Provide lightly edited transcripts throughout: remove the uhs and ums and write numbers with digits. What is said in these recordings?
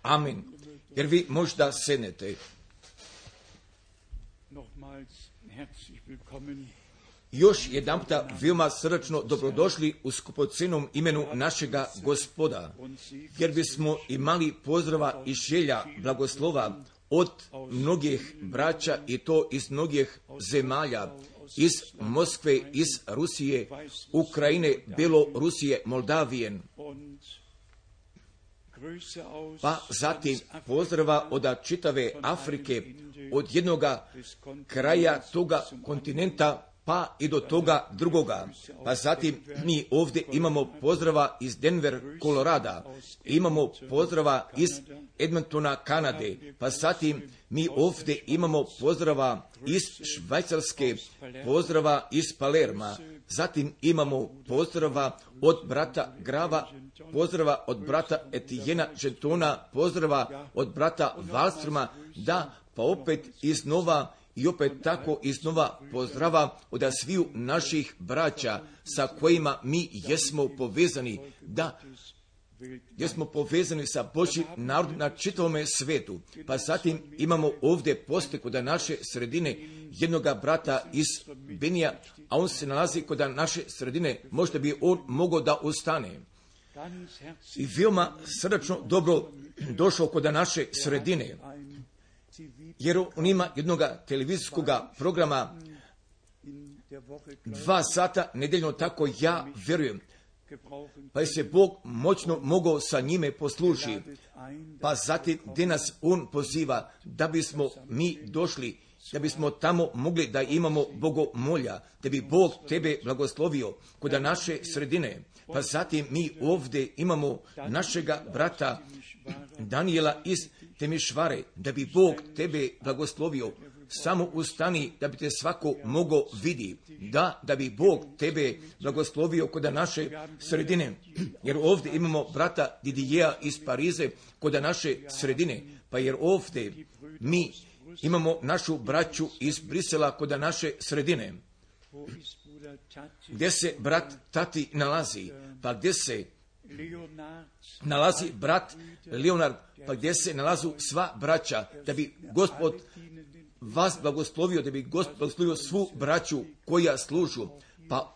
Amin. Jer vi možda sednete. Još jedanputa veoma srdačno dobrodošli u skupocenom imenu našega Gospoda, jer bismo imali pozdrava i želja blagoslova od mnogih braća i to iz mnogih zemalja, iz Moskve, iz Rusije, Ukrajine, Belorusije, Moldavijen. Pa zatim pozdrava od čitave Afrike, od jednoga kraja toga kontinenta pa i do toga drugoga. Pa zatim mi ovdje imamo pozdrava iz Denver, Kolorada, imamo pozdrava iz Edmontona, Kanade, pa zatim mi ovdje imamo pozdrava iz Švajcarske, pozdrava iz Palerma, zatim imamo pozdrava od brata Grava, pozdrava od brata Etijena Žetona, pozdrava od brata Valstrma, da, pa opet iznova i opet tako iznova pozdrava od sviju naših braća sa kojima mi jesmo povezani, da, jesmo povezani sa Božjim narodom na čitavome svetu. Pa zatim imamo ovdje poslije kod naše sredine jednoga brata iz Benija, a on se nalazi kod naše sredine, možda bi on mogao da ostane. I veoma srdačno dobro došao kod naše sredine, jer on ima jednog televizijskog programa 2 sata nedeljno, tako ja vjerujem. Pa je se Bog moćno mogao sa njime posluži. Pa zatim gdje nas on poziva da bismo mi došli, da bismo tamo mogli da imamo bogomolja, da bi Bog tebe blagoslovio kod naše sredine. Pa zatim mi ovdje imamo našega brata Daniela iz Temišvare, da bi Bog tebe blagoslovio. Samo ustani da bi te svako mogao vidi, da bi Bog tebe blagoslovio kod naše sredine. Jer ovdje imamo brata Didijeja iz Parize kod naše sredine, pa jer ovdje mi imamo našu braću iz Brisela kod naše sredine. Gdje se brat Tati nalazi, pa gdje se nalazi brat Leonard, pa gdje se nalazu sva braća, da bi Gospod vas blagoslovio, da bi Gospod blagoslovio svu braću koja služu. Pa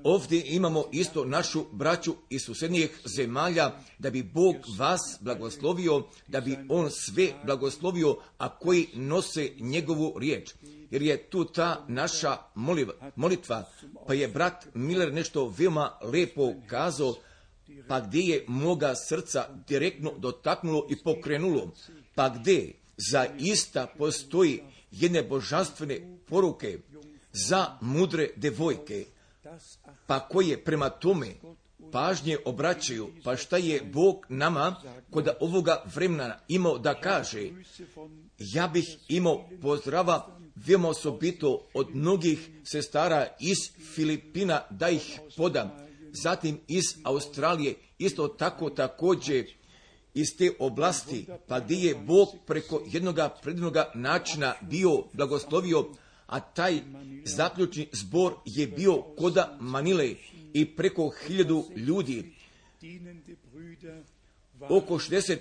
ovdje imamo isto našu braću iz susjednijih zemalja, da bi Bog vas blagoslovio, da bi On sve blagoslovio, a koji nose njegovu riječ. Jer je tu ta naša molitva, pa je brat Miller nešto veoma lepo kazao, pa gdje je moga srca direktno dotaknulo i pokrenulo, pa gdje zaista postoji jedne božanstvene poruke za mudre devojke, pa koje prema tome pažnje obraćaju, pa šta je Bog nama kod ovoga vremena imao da kaže. Ja bih imao pozdrava veoma osobito od mnogih sestara iz Filipina da ih podam, zatim iz Australije, isto tako također iz te oblasti, pa gdje je Bog preko jednoga predivnoga načina bio blagoslovio, a taj zaključni zbor je bio koda Manile i preko 1000 ljudi, oko 60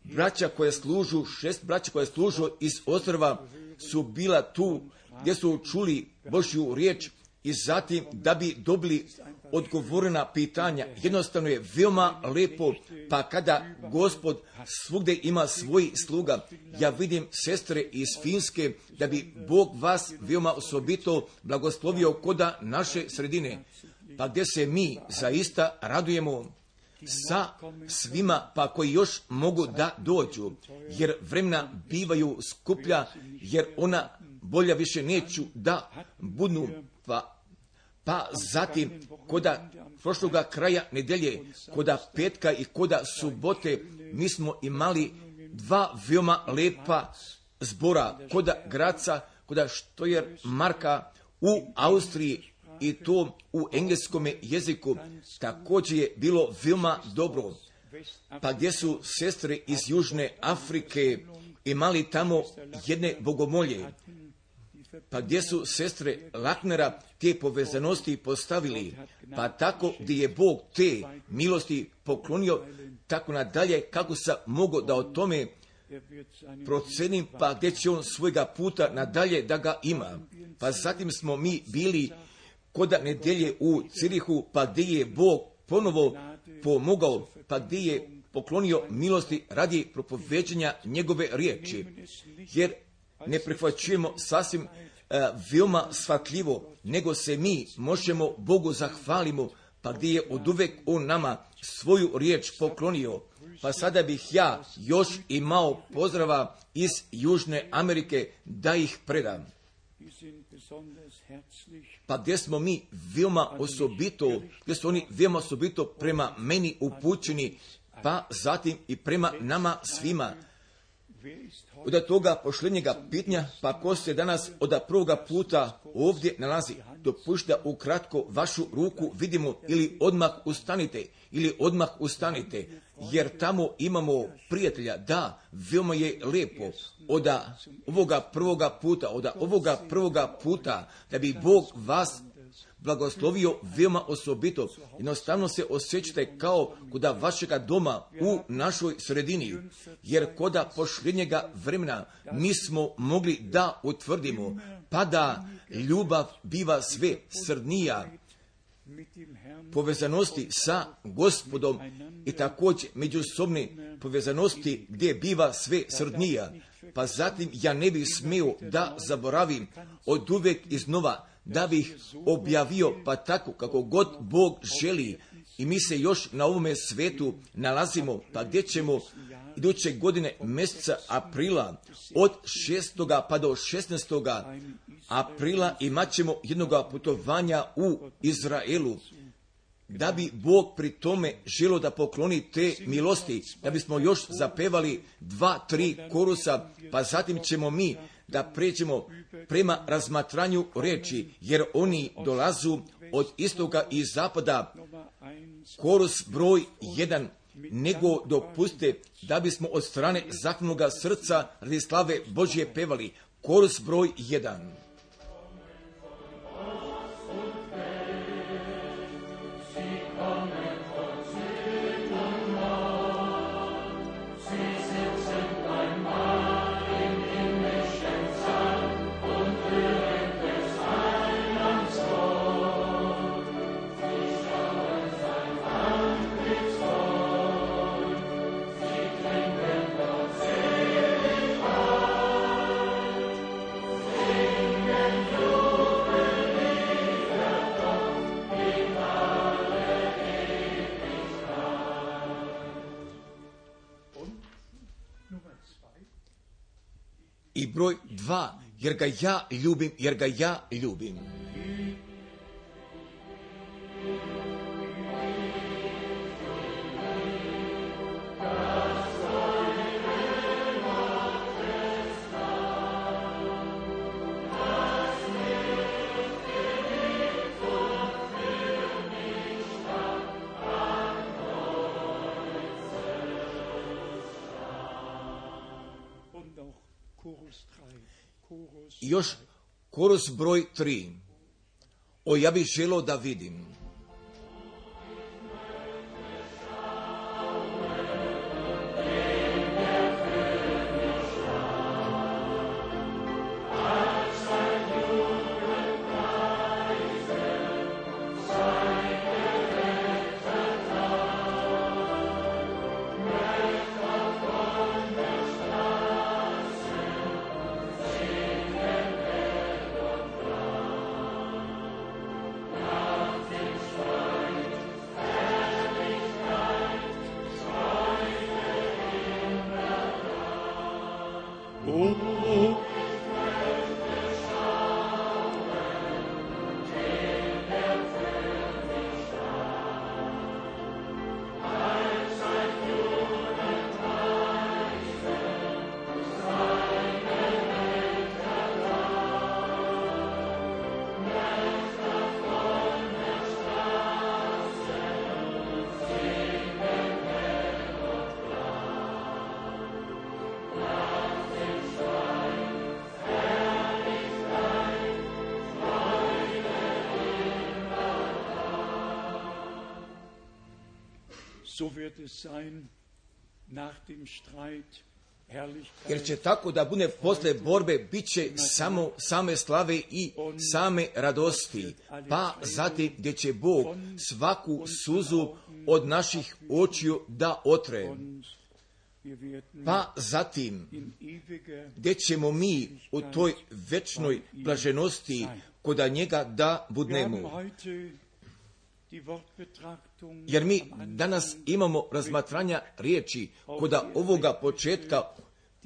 braća koje služu, 6 braća koje služu iz ostrva su bila tu gdje su čuli Božju riječ i zatim da bi dobili odgovore na pitanja. Jednostavno je veoma lepo, pa kada Gospod svugdje ima svoj sluga, ja vidim sestre iz Finske, da bi Bog vas veoma osobito blagoslovio koda naše sredine, pa gdje se mi zaista radujemo sa svima, pa koji još mogu da dođu, jer vremena bivaju skuplja, jer ona bolja više neću da budu, pa zatim koda prošloga kraja nedelje, koda petka i koda subote, mi smo imali 2 veoma lepa zbora, koda Graca, koda Štojer Marka u Austriji, i to u engleskom jeziku također je bilo veoma dobro. Pa gdje su sestre iz Južne Afrike imali tamo jedne bogomolje, pa gdje su sestre Laknera te povezanosti postavili, pa tako gdje je Bog te milosti poklonio, tako nadalje, kako sam mogao da o tome procenim, pa gdje će on svojega puta nadalje da ga ima. Pa zatim smo mi bili kod nedjelje u Cirihu, pa gdje je Bog ponovo pomogao, pa gdje je poklonio milosti radi propoveđenja njegove riječi, jer ne prihvaćujemo sasvim veoma shvatljivo, nego se mi možemo Bogu zahvalimo, pa gdje je oduvek on nama svoju riječ poklonio. Pa sada bih ja još imao pozdrava iz Južne Amerike da ih predam. Pa gdje smo mi veoma osobito, gdje su oni veoma osobito prema meni upućeni, pa zatim i prema nama svima. Od toga pošljenjega pitanja, pa ko se danas od prvoga puta ovdje nalazi, dopušta ukratko vašu ruku vidimo ili odmah ustanite, jer tamo imamo prijatelja, da, veoma je lijepo od ovoga prvoga puta, da bi Bog vas blagoslovio veoma osobito. Jednostavno se osjećate kao kod vašega doma u našoj sredini, jer kod pošljenjega vremena mi smo mogli da utvrdimo, pa da ljubav biva sve srdnija, povezanosti sa Gospodom i također međusobne povezanosti gdje biva sve srdnija. Pa zatim ja ne bih smio da zaboravim od uvek iznova da bih objavio, pa tako kako god Bog želi, i mi se još na ovome svetu nalazimo, pa gdje ćemo iduće godine mjeseca aprila od 6. pa do 16. aprila imat ćemo jednoga putovanja u Izraelu, da bi Bog pri tome želio da pokloni te milosti, da bismo još zapevali 2-3 korusa, pa zatim ćemo mi da pređemo prema razmatranju riječi, jer oni dolazu od istoka i zapada. Korus broj 1, nego dopustite da bismo od strane zahvalnoga srca radi slave Božje pevali. Korus broj 1. I broj 2, jer ga ja ljubim. I još korus broj 3. O, ja bih želio da vidim. Jer će tako da bude posle borbe, bit će samo same slave i same radosti. Pa zatim gdje će Bog svaku suzu od naših očiju da otre. Pa zatim gdje ćemo mi u toj večnoj blaženosti koda njega da budnemo. Jer mi danas imamo razmatranja riječi koda ovoga početka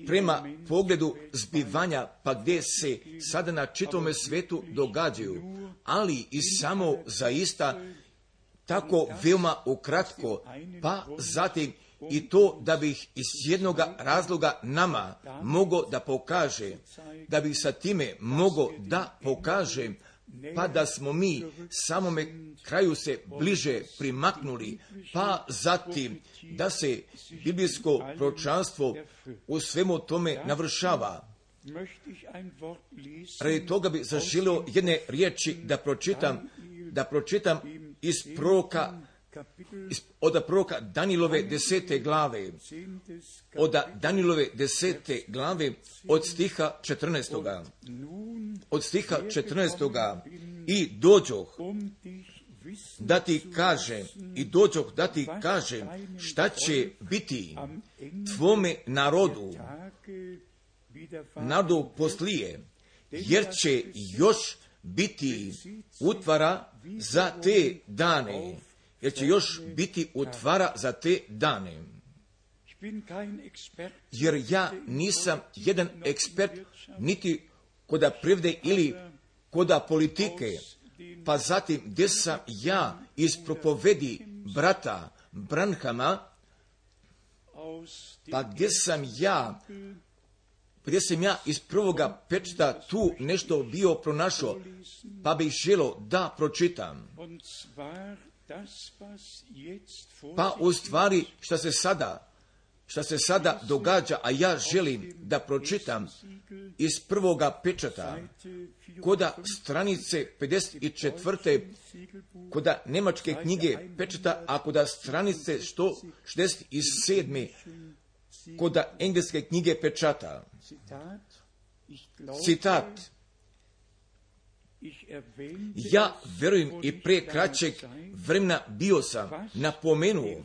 prema pogledu zbivanja, pa gdje se sada na čitavome svetu događaju, ali i samo zaista tako veoma ukratko, pa zatim i to da bih iz jednog razloga nama mogao da pokaže, da bih sa time mogao da pokažem, pa da smo mi samome kraju se bliže primaknuli, pa zatim da se biblijsko proročanstvo u svemu tome navršava. Radi toga bi zaželio jedne riječi da pročitam iz od proroka Danilove 10. glave, od stiha 14. Od stiha 14. I dođoh da ti kažem šta će biti tvome narodu poslije, jer će još biti utvara za te dane. Jer ja nisam jedan ekspert niti koda privde ili koda politike, pa zatim gdje sam ja iz propovedi brata Branhama, pa gdje sam ja iz prvoga pečata tu nešto bio pronašao, pa bih želio da pročitam. Pa u stvari šta se sada događa, a ja želim da pročitam iz prvoga pečata, koda stranice 54. koda nemačke knjige pečata, a koda stranice 167. koda engleske knjige pečata. Citat. Ja verujem i pre kraćeg vremena bio sam napomenuo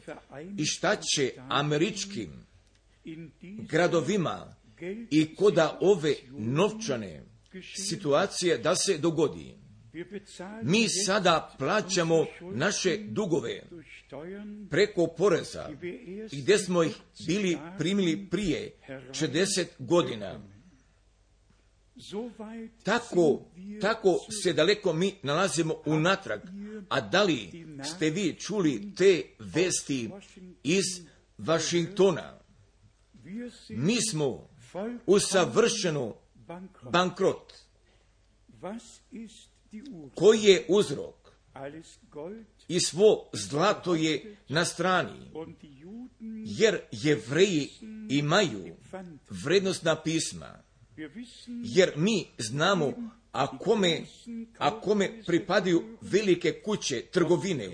i šta će američkim gradovima i koda ove novčane situacije da se dogodi. Mi sada plaćamo naše dugove preko poreza, gdje smo ih bili primili prije 40 godina. Tako se daleko mi nalazimo unatrag. A da li ste vi čuli te vesti iz Vašingtona? Mi smo u savršenu bankrot. Koji je uzrok? I svo zlato je na strani, jer Jevreji imaju vrednostna pisma. Jer mi znamo, a kome pripadaju velike kuće trgovine,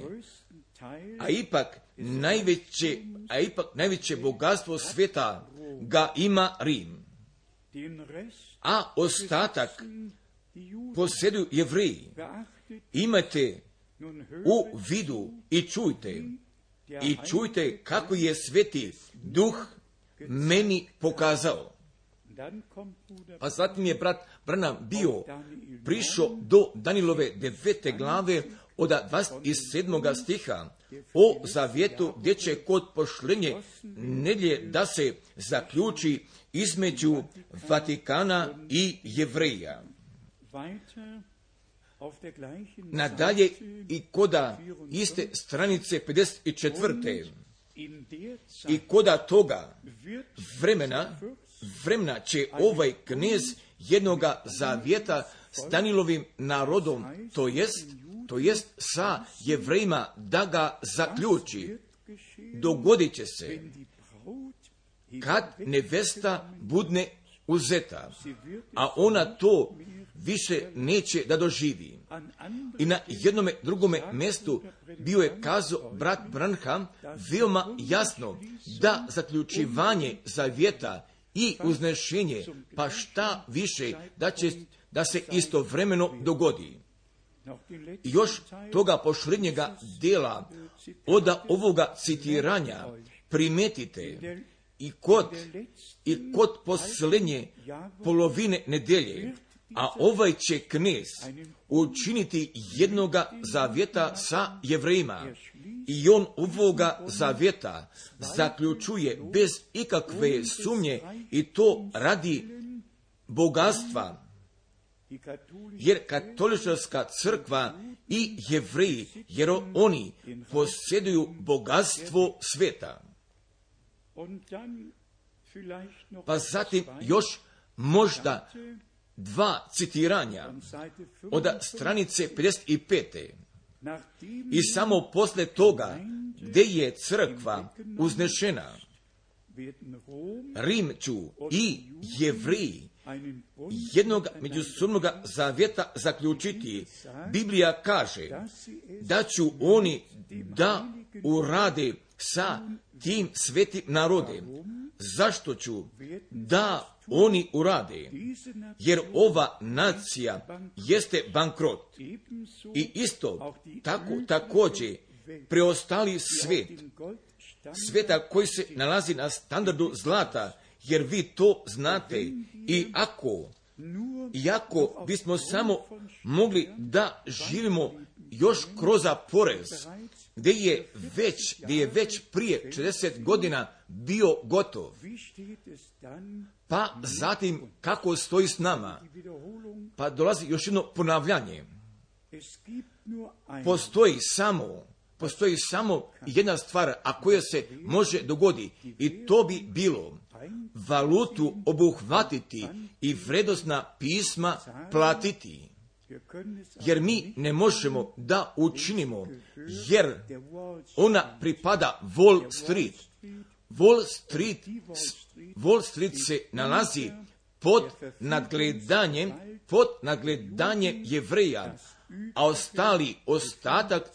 a ipak najveće bogatstvo svijeta ga ima Rim, a ostatak posjeduju Jevreji. Imajte u vidu i čujte kako je Sveti Duh meni pokazao. Pa zatim je brat Branham bio prišao do Danilove 9. glave od 27. stiha o zavjetu gdje će kod pošlenje nedjelje da se zaključi između Vatikana i Jevreja. Nadalje i koda iste stranice 54. I koda toga vremena će ovaj knez jednoga zavjeta s Danilovim narodom, to jest sa Jevrejima, da ga zaključi. Dogodit će se kad nevesta budne uzeta, a ona to više neće da doživi. I na jednome drugome mjestu bio je kazao brat Branham veoma jasno da zaključivanje zavjeta i uznešenje, pa šta više da se istovremeno dogodi. I još toga posljednjega dela od ovoga citiranja primetite i kod posljednje polovine nedelje, a ovaj će knez učiniti jednoga zavjeta sa Jevrejima i on ovoga zavjeta zaključuje bez ikakve sumnje i to radi bogatstva. Jer katolička crkva i Jevreji, jer oni posjeduju bogatstvo sveta. Pa zatim još možda dva citiranja od stranice 55. I samo posle toga gdje je crkva uznešena, Rimću i Jevreji jednog međusobnog zavjeta zaključiti. Biblija kaže da ću oni da urade sa tim svetim narodem. Zašto ću da oni urade? Jer ova nacija jeste bankrot. I isto tako također preostali svet, sveta koji se nalazi na standardu zlata, jer vi to znate. I ako bismo samo mogli da živimo još kroz porez, gdje je već prije 40 godina bio gotov. Pa zatim kako stoji s nama? Pa dolazi još jedno ponavljanje. Postoji samo jedna stvar, a koja se može dogoditi, i to bi bilo valutu obuhvatiti i vrednosna pisma platiti. Jer mi ne možemo da učinimo, jer ona pripada Wall Street. Wall Street se nalazi pod nadgledanjem Jevreja, a ostatak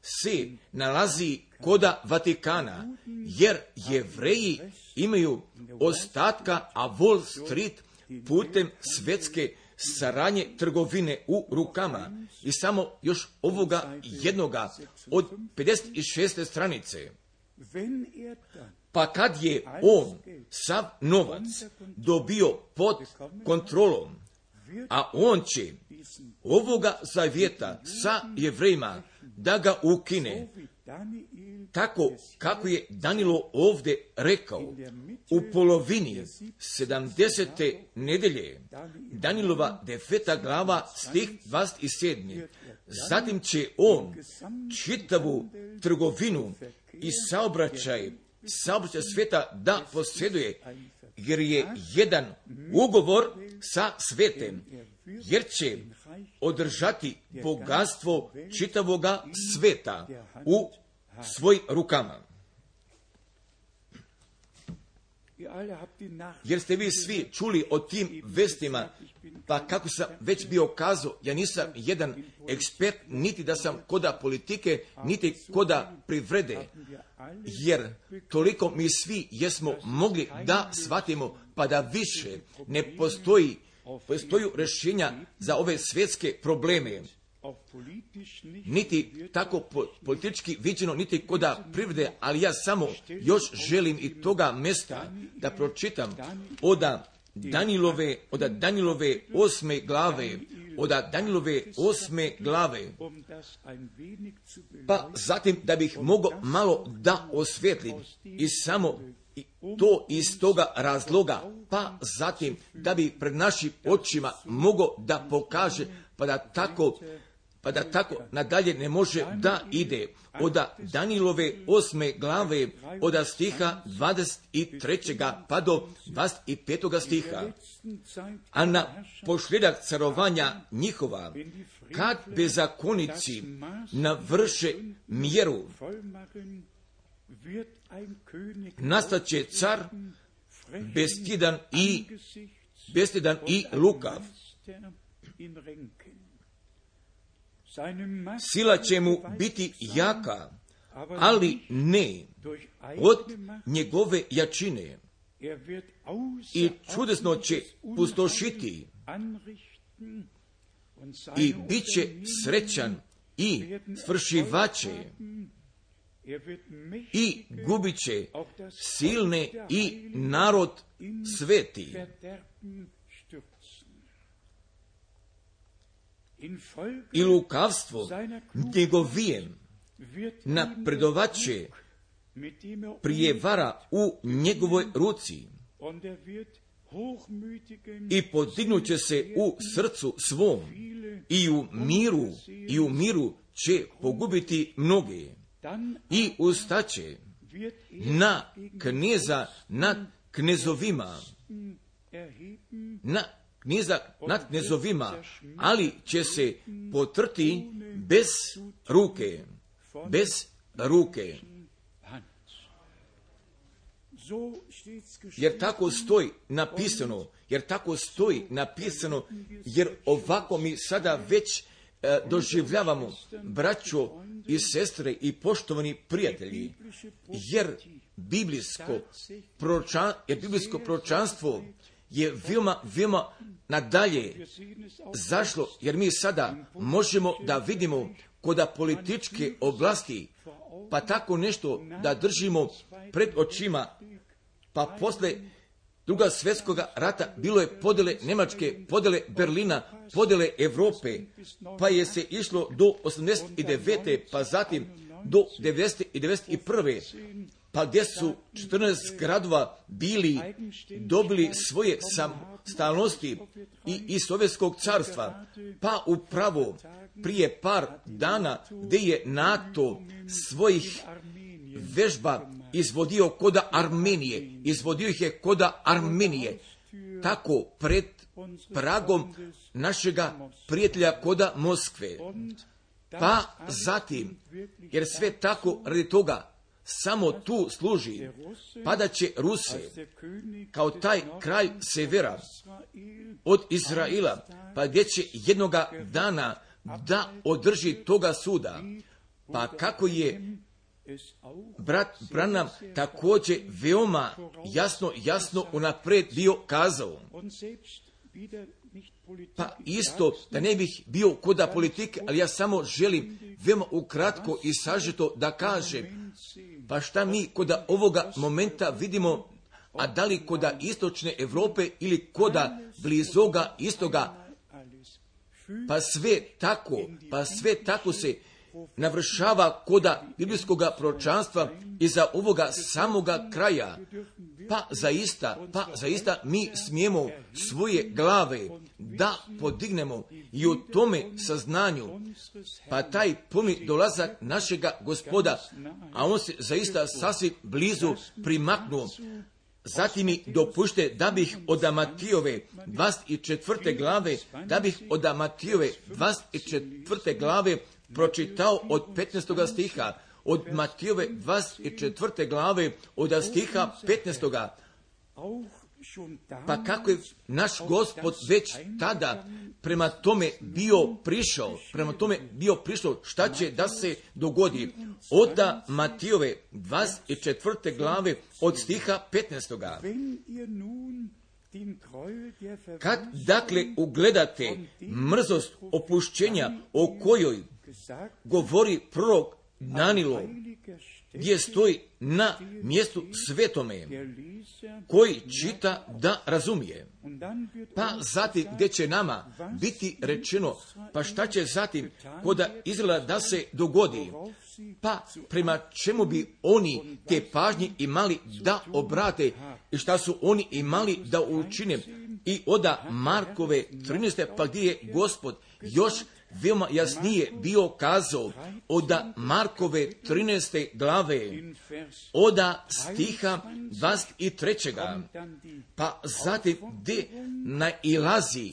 se nalazi koda Vatikana, jer Jevreji imaju ostatka, a Wall Street putem svjetske saradnje trgovine u rukama. I samo još ovoga jednoga od 56. stranice. Pa kad je on sav novac dobio pod kontrolom, a on će ovoga zavjeta sa Jevrejima da ga ukine, tako kako je Danilo ovdje rekao, u polovini 70. nedelje, Danilova 9. glava, stih 27. Zatim će on čitavu trgovinu i saobraćaj sveta da posjeduje, jer je jedan ugovor sa svetem, jer će održati bogatstvo čitavoga sveta u svojim rukama. Jer ste vi svi čuli o tim vestima, pa kako sam već bio kazao, ja nisam jedan ekspert, niti da sam koda politike, niti koda privrede, jer toliko mi svi jesmo mogli da shvatimo, pa da više ne postoji rješenja za ove svjetske probleme, niti tako politički viđeno, niti koda privrede, ali ja samo još želim i toga mjesta da pročitam od Danilove 8. glave, pa zatim da bih mogao malo da osvijetlim i samo to iz toga razloga, pa zatim da bi pred našim očima mogao da pokaže, pa da tako nadalje ne može da ide. Od Danilove 8. glave, od stiha 23. pa do 25. stiha. A na posljedak carovanja njihova, kad bezakonici navrše mjeru, nastaće car bestidan i lukav, Sila će mu biti jaka, ali ne od njegove jačine. I čudesno će pustošiti i bit će srećan i svršivaće i gubit će silne i narod sveti. I lukavstvo njegovijem napredovaće prijevara u njegovoj ruci i podignuće se u srcu svom i u miru će pogubiti mnoge i ustaće na kneza nad knezovima, na kneza nad knezovima, ali će se potrti bez ruke. Jer tako stoji napisano, jer ovako mi sada već doživljavamo, braćo i sestre i poštovani prijatelji, jer biblijsko proročanstvo je veoma nadalje zašlo, jer mi sada možemo da vidimo koda političke oblasti, pa tako nešto da držimo pred očima, pa posle Druga svjetskog rata bilo je podjele Njemačke, podjele Berlina, podjele Europe, pa je se išlo do 89. pa zatim do 90. i 91. pa gdje su 14 gradova dobili svoje samostalnosti i iz Sovjetskog carstva, pa upravo prije par dana gdje je NATO svojih vežba izvodio ih je koda Armenije, tako pred pragom našega prijatelja koda Moskve. Pa zatim, jer sve tako radi toga samo tu služi, padat će Ruse kao taj kralj severa od Izraela, pa gdje će jednoga dana da održi toga suda. Pa kako je brat Branham također veoma jasno unaprijed bio kazao, pa isto da ne bih bio koda politike, ali ja samo želim veoma ukratko i sažeto da kažem, pa šta mi koda ovoga momenta vidimo, a da li koda istočne Europe ili koda blizoga istoga, pa sve tako se navršava koda biblijskog proročanstva i za ovoga samoga kraja. Pa zaista mi smijemo svoje glave da podignemo i u tome saznanju, pa taj puni dolazak našega Gospoda, a on se zaista sasvim blizu primaknuo. Zatim mi dopušte da bih od Matijove 24. glave pročitao od 15. stiha, od Matijove 24. glave od stiha 15. Pa kako je naš Gospod već tada prema tome bio prišao, šta će da se dogodi? Od Matijove 24. glave od stiha 15. Kad dakle ugledate mrzost opušćenja o kojoj govori prorok Danilo, gdje stoji na mjestu svetome, koji čita da razumije. Pa zatim gdje će nama biti rečeno, pa šta će zatim koda Izraela da se dogodi, pa prema čemu bi oni te pažnje imali da obrate i šta su oni imali da učine. I od Markove 13. pa gdje je Gospod još veoma jasnije bio kazao od Markove 13. glave, od stiha 23. Pa zatim gdje nailazi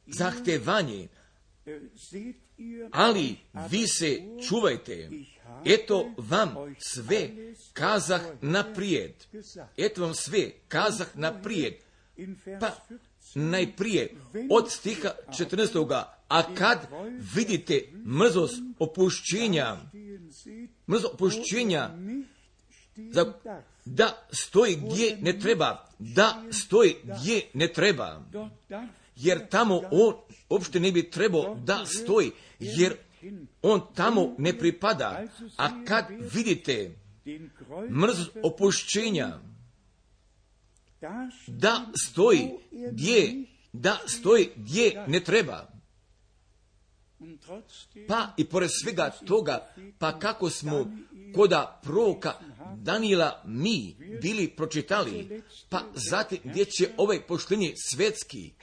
zahtevanje, ali vi se čuvajte, eto vam sve kazah naprijed. Pa najprije od stiha 14. A kad vidite mrzost opušćenja, da stoji gdje ne treba, jer tamo on uopšte ne bi trebao da stoji, jer on tamo ne pripada. A kad vidite mrzost opušćenja, da stoji gdje ne treba. Pa i pored svega toga, pa kako smo koda proroka Danijela mi bili pročitali, pa zatim gdje će ovaj pošteni svetski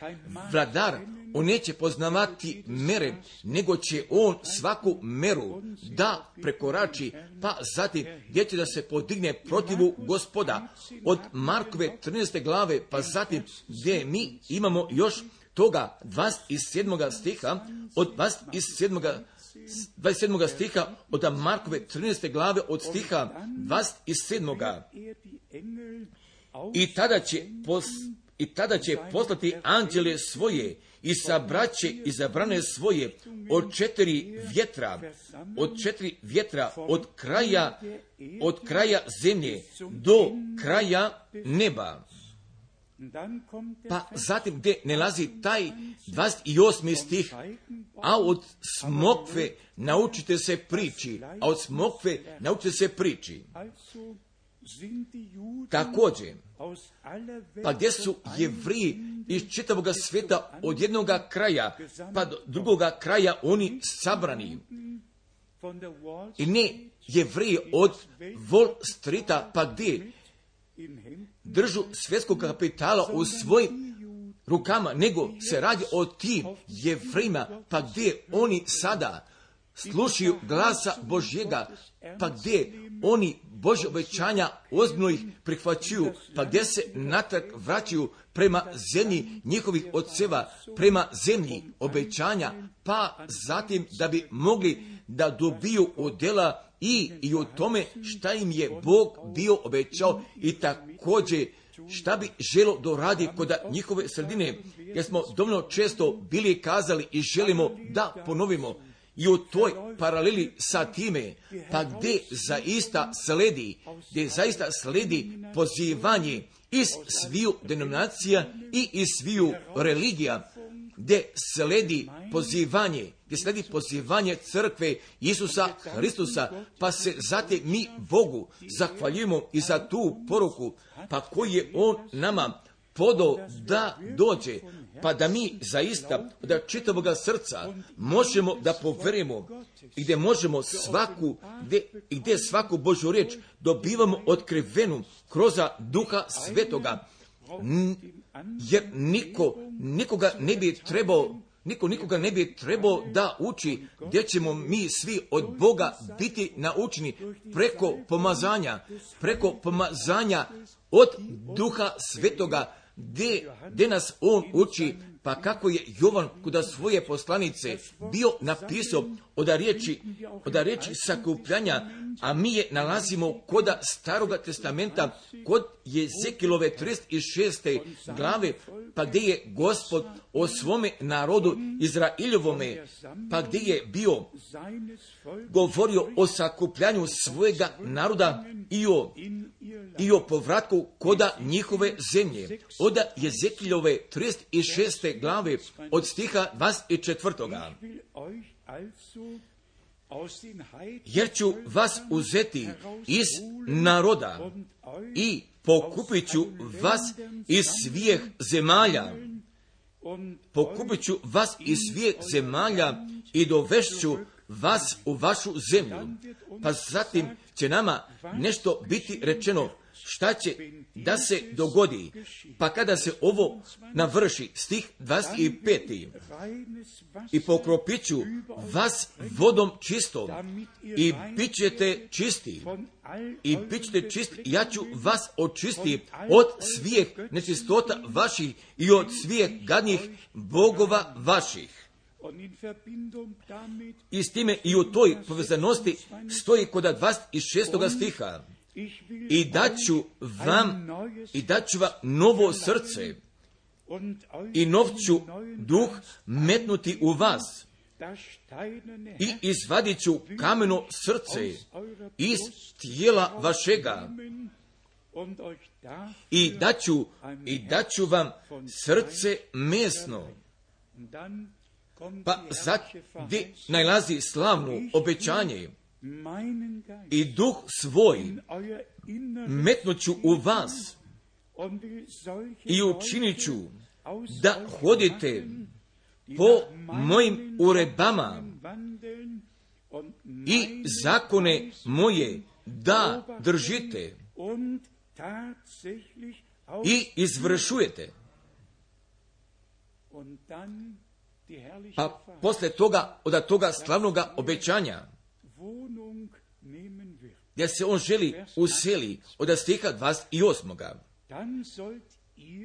vladar, on neće poznavati mere, nego će on svaku meru da prekorači, pa zatim gdje će da se podigne protivu Gospoda. Od Markove 13. glave, pa zatim gdje mi imamo još toga 27. stiha, od 27. stiha od Markove 13. glave od stiha 27. I tada će poslati anđele svoje i sabraće izabrane svoje od četiri vjetra od kraja zemlje do kraja neba. Pa zatim gdje nalazi taj 28. stih, a od smokve naučite se priči. Također, pa gdje su Jevriji iz čitavoga svijeta od jednoga kraja pa do drugoga kraja oni sabrani. I ne Jevriji od Wall Streeta pa gdje držu svjetskog kapitala u svojim rukama, nego se radi o tim Jevrejima, pa gdje oni sada slušaju glasa Božjega, pa gdje oni Božje obećanja ozbiljno ih prihvaćuju, pa gdje se natrag vraćaju prema zemlji njihovih oceva, prema zemlji obećanja, pa zatim da bi mogli da dobiju odjela i o tome šta im je Bog bio obećao i također šta bi želo doradi kod njihove sredine, jer smo dovoljno često bili kazali i želimo da ponovimo i u toj paraleli sa time, pa gdje zaista sledi pozivanje iz sviju denominacija i iz sviju religija, gdje sledi pozivanje crkve Isusa Hristusa, pa se zatim mi Bogu zahvaljujemo i za tu poruku, pa koji je On nama podao da dođe, pa da mi zaista da čitavoga srca možemo da poverujemo i gdje možemo gdje svaku Božju riječ dobivamo otkrivenu kroz Duha Svetoga, jer niko nikoga ne bi trebao da uči, gdje ćemo mi svi od Boga biti naučeni preko pomazanja od Duha Svetoga, gdje nas On uči, pa kako je Jovan kod svoje poslanice bio napisao od riječi sakupljanja, a mi je nalazimo kod Staroga testamenta, kod Jezekilove 36. glave, pa gdje je Gospod o svome narodu Izraeljovome, pa gdje je bio govorio o sakupljanju svojega naroda i o povratku koda njihove zemlje. Od Jezekiljove 36. glave od stiha 24. Jer ću vas uzeti iz naroda i pokupit ću vas iz svih zemalja i dovešću vas u vašu zemlju. Pa zatim će nama nešto biti rečeno šta će da se dogodi, pa kada se ovo navrši, stih 25. I pokropit ću vas vodom čistom i bit ćete čisti. Ja ću vas očistiti od svih nečistota vaših i od svih gadnih bogova vaših. I s time i u toj povezanosti stoji kod 26. stiha. I daću vam novo srce i nov ću duh metnuti u vas i izvadit ću kameno srce iz tijela vašega i daću vam srce mesno. Pa sad gdje najlazi slavno obećanje i duh svoj metnuću u vas i učinit ću da hodite po mojim uredbama i zakone moje da držite i izvršujete. Pa posle toga, od toga slavnoga obećanja, gdje se on želi useli od stiha 28.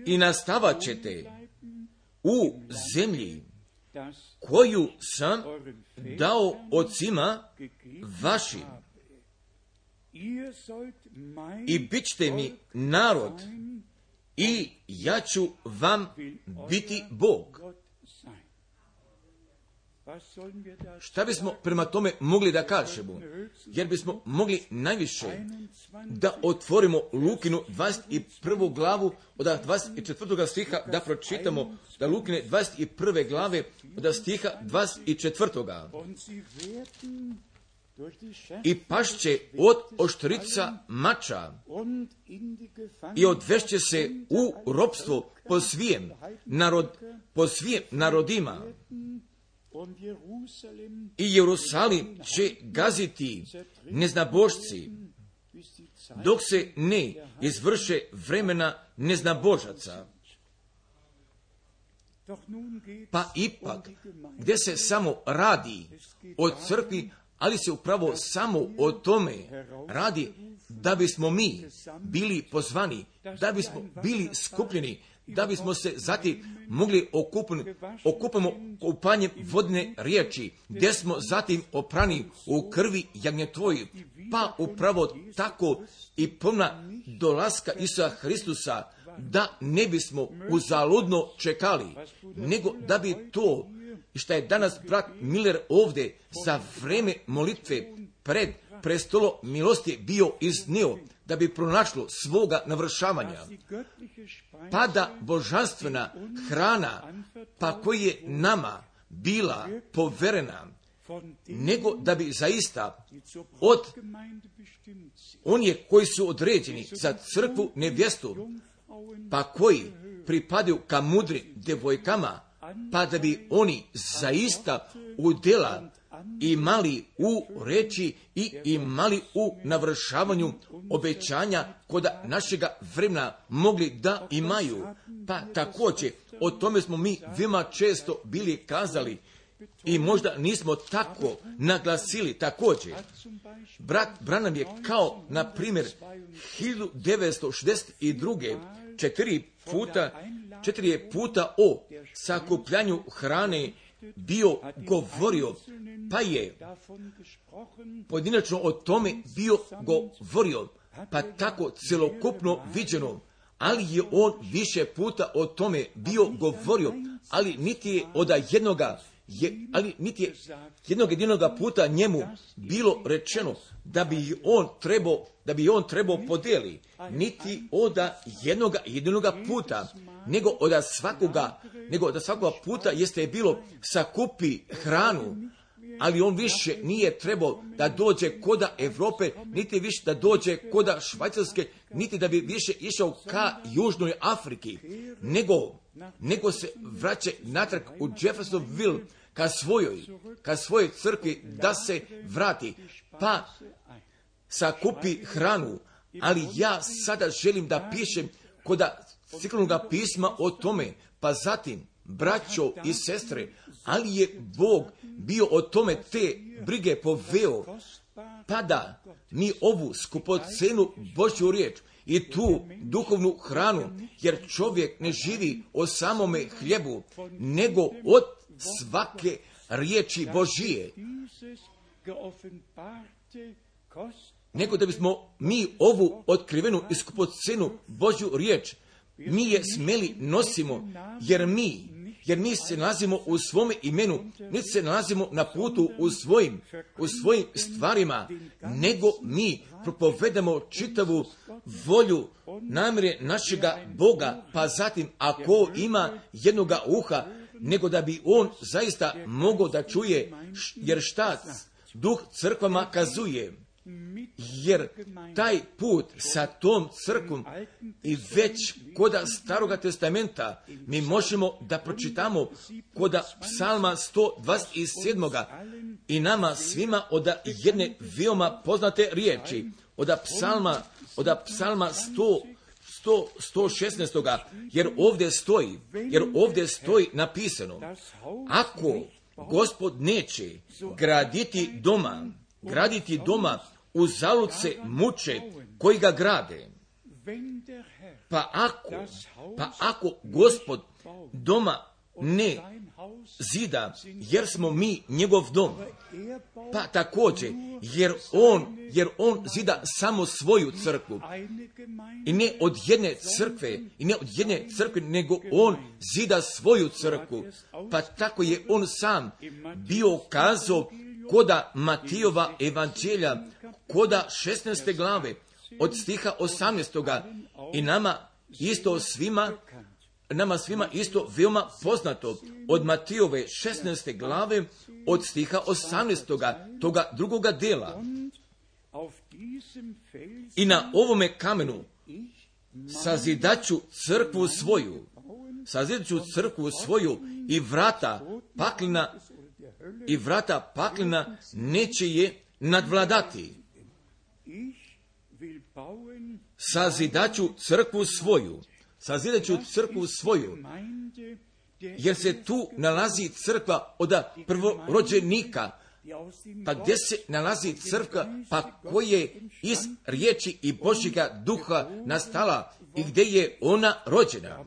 I nastavat ćete u zemlji koju sam dao ocima vašim i bit ćete mi narod i ja ću vam biti Bog. Šta bismo prema tome mogli da kažemo? Jer bismo mogli najviše da otvorimo Lukinu 21. glavu od 24. stiha da pročitamo da Lukine 21. glave od stiha 24. I pašće od oštrica mača i odvešće se u ropstvo po svijem narodima. I Jerusalim će gaziti neznabošci, dok se ne izvrše vremena neznabožaca. Pa ipak, gdje se samo radi o crkvi, ali se upravo samo o tome radi da bismo mi bili pozvani, da bismo bili skupljeni, da bismo se zatim mogli okupamo kupanjem vodne riječi, gdje smo zatim oprani u krvi jagnjetvoji, pa upravo tako i pomna dolaska Isusa Hristusa, da ne bismo uzaludno čekali, nego da bi to, što je danas brat Miller ovdje za vreme molitve pred prestolom milosti bio iznio, da bi pronašlo svoga navršavanja. Pa da božanstvena hrana, pa koji je nama bila poverena, nego da bi zaista od onih koji su određeni za crkvu nevjestu, pa koji pripadaju ka mudrim devojkama, pa da bi oni zaista udjela imali u reči i imali u navršavanju obećanja koda našega vremena mogli da imaju. Pa također, o tome smo mi veoma često bili kazali i možda nismo tako naglasili također. Brat Branham je kao, na primjer, 1962. četiri puta o sakupljanju hrane bio govorio, pa je pojedinačno o tome bio govorio, pa tako celokupno viđeno, ali je on više puta o tome bio govorio, ali niti je od jednoga puta njemu bilo rečeno da bi on trebao podeli, niti od jednoga puta, nego od svakoga puta jeste bilo sakupi hranu, ali on više nije trebao da dođe koda Europe, niti više da dođe koda Švajcarske, niti da bi više išao ka Južnoj Afriki, nego se vraća natrag u Jeffersonville, ka svojoj crkvi da se vrati, pa sakupi hranu. Ali ja sada želim da pišem koda Crkvenog pisma o tome, pa zatim, braćo i sestre, ali je Bog bio o tome te brige poveo, pa da mi ovu skupocenu Božju riječ i tu duhovnu hranu, jer čovjek ne živi o samome hljebu, nego od svake riječi Božije. Nego da bismo mi ovu otkrivenu i skupocenu Božju riječ mi je smeli nosimo, jer mi se nalazimo u svome imenu, niti se nalazimo na putu u svojim stvarima, nego mi propovedamo čitavu volju, namjere našega Boga, pa zatim ako ima jednoga uha, nego da bi on zaista mogao da čuje, jer šta Duh crkvama kazuje, jer taj put sa tom crkvom i već koda Staroga testamenta mi možemo da pročitamo koda Psalma 127. i nama svima od jedne veoma poznate riječi, od Psalma 116. jer ovdje stoji napisano, ako Gospod neće graditi doma, uzalud se muče koji ga grade. Pa ako Gospod doma ne zida, jer smo mi njegov dom, pa također, jer on zida samo svoju crkvu, i ne od jedne crkve, nego on zida svoju crkvu, pa tako je on sam bio kazao koda Matijova evanđelja, koda 16. glave, od stiha 18. i nama svima isto veoma poznato, od Matijove 16. glave, od stiha 18. toga drugoga dela. I na ovome kamenu sazidaću crkvu svoju i vrata paklina neće je nadvladati. Sazidaću crkvu svoju, jer se tu nalazi crkva od prvorođenika, pa gdje se nalazi crkva, pa koje iz riječi i Božjega duha nastala i gdje je ona rođena.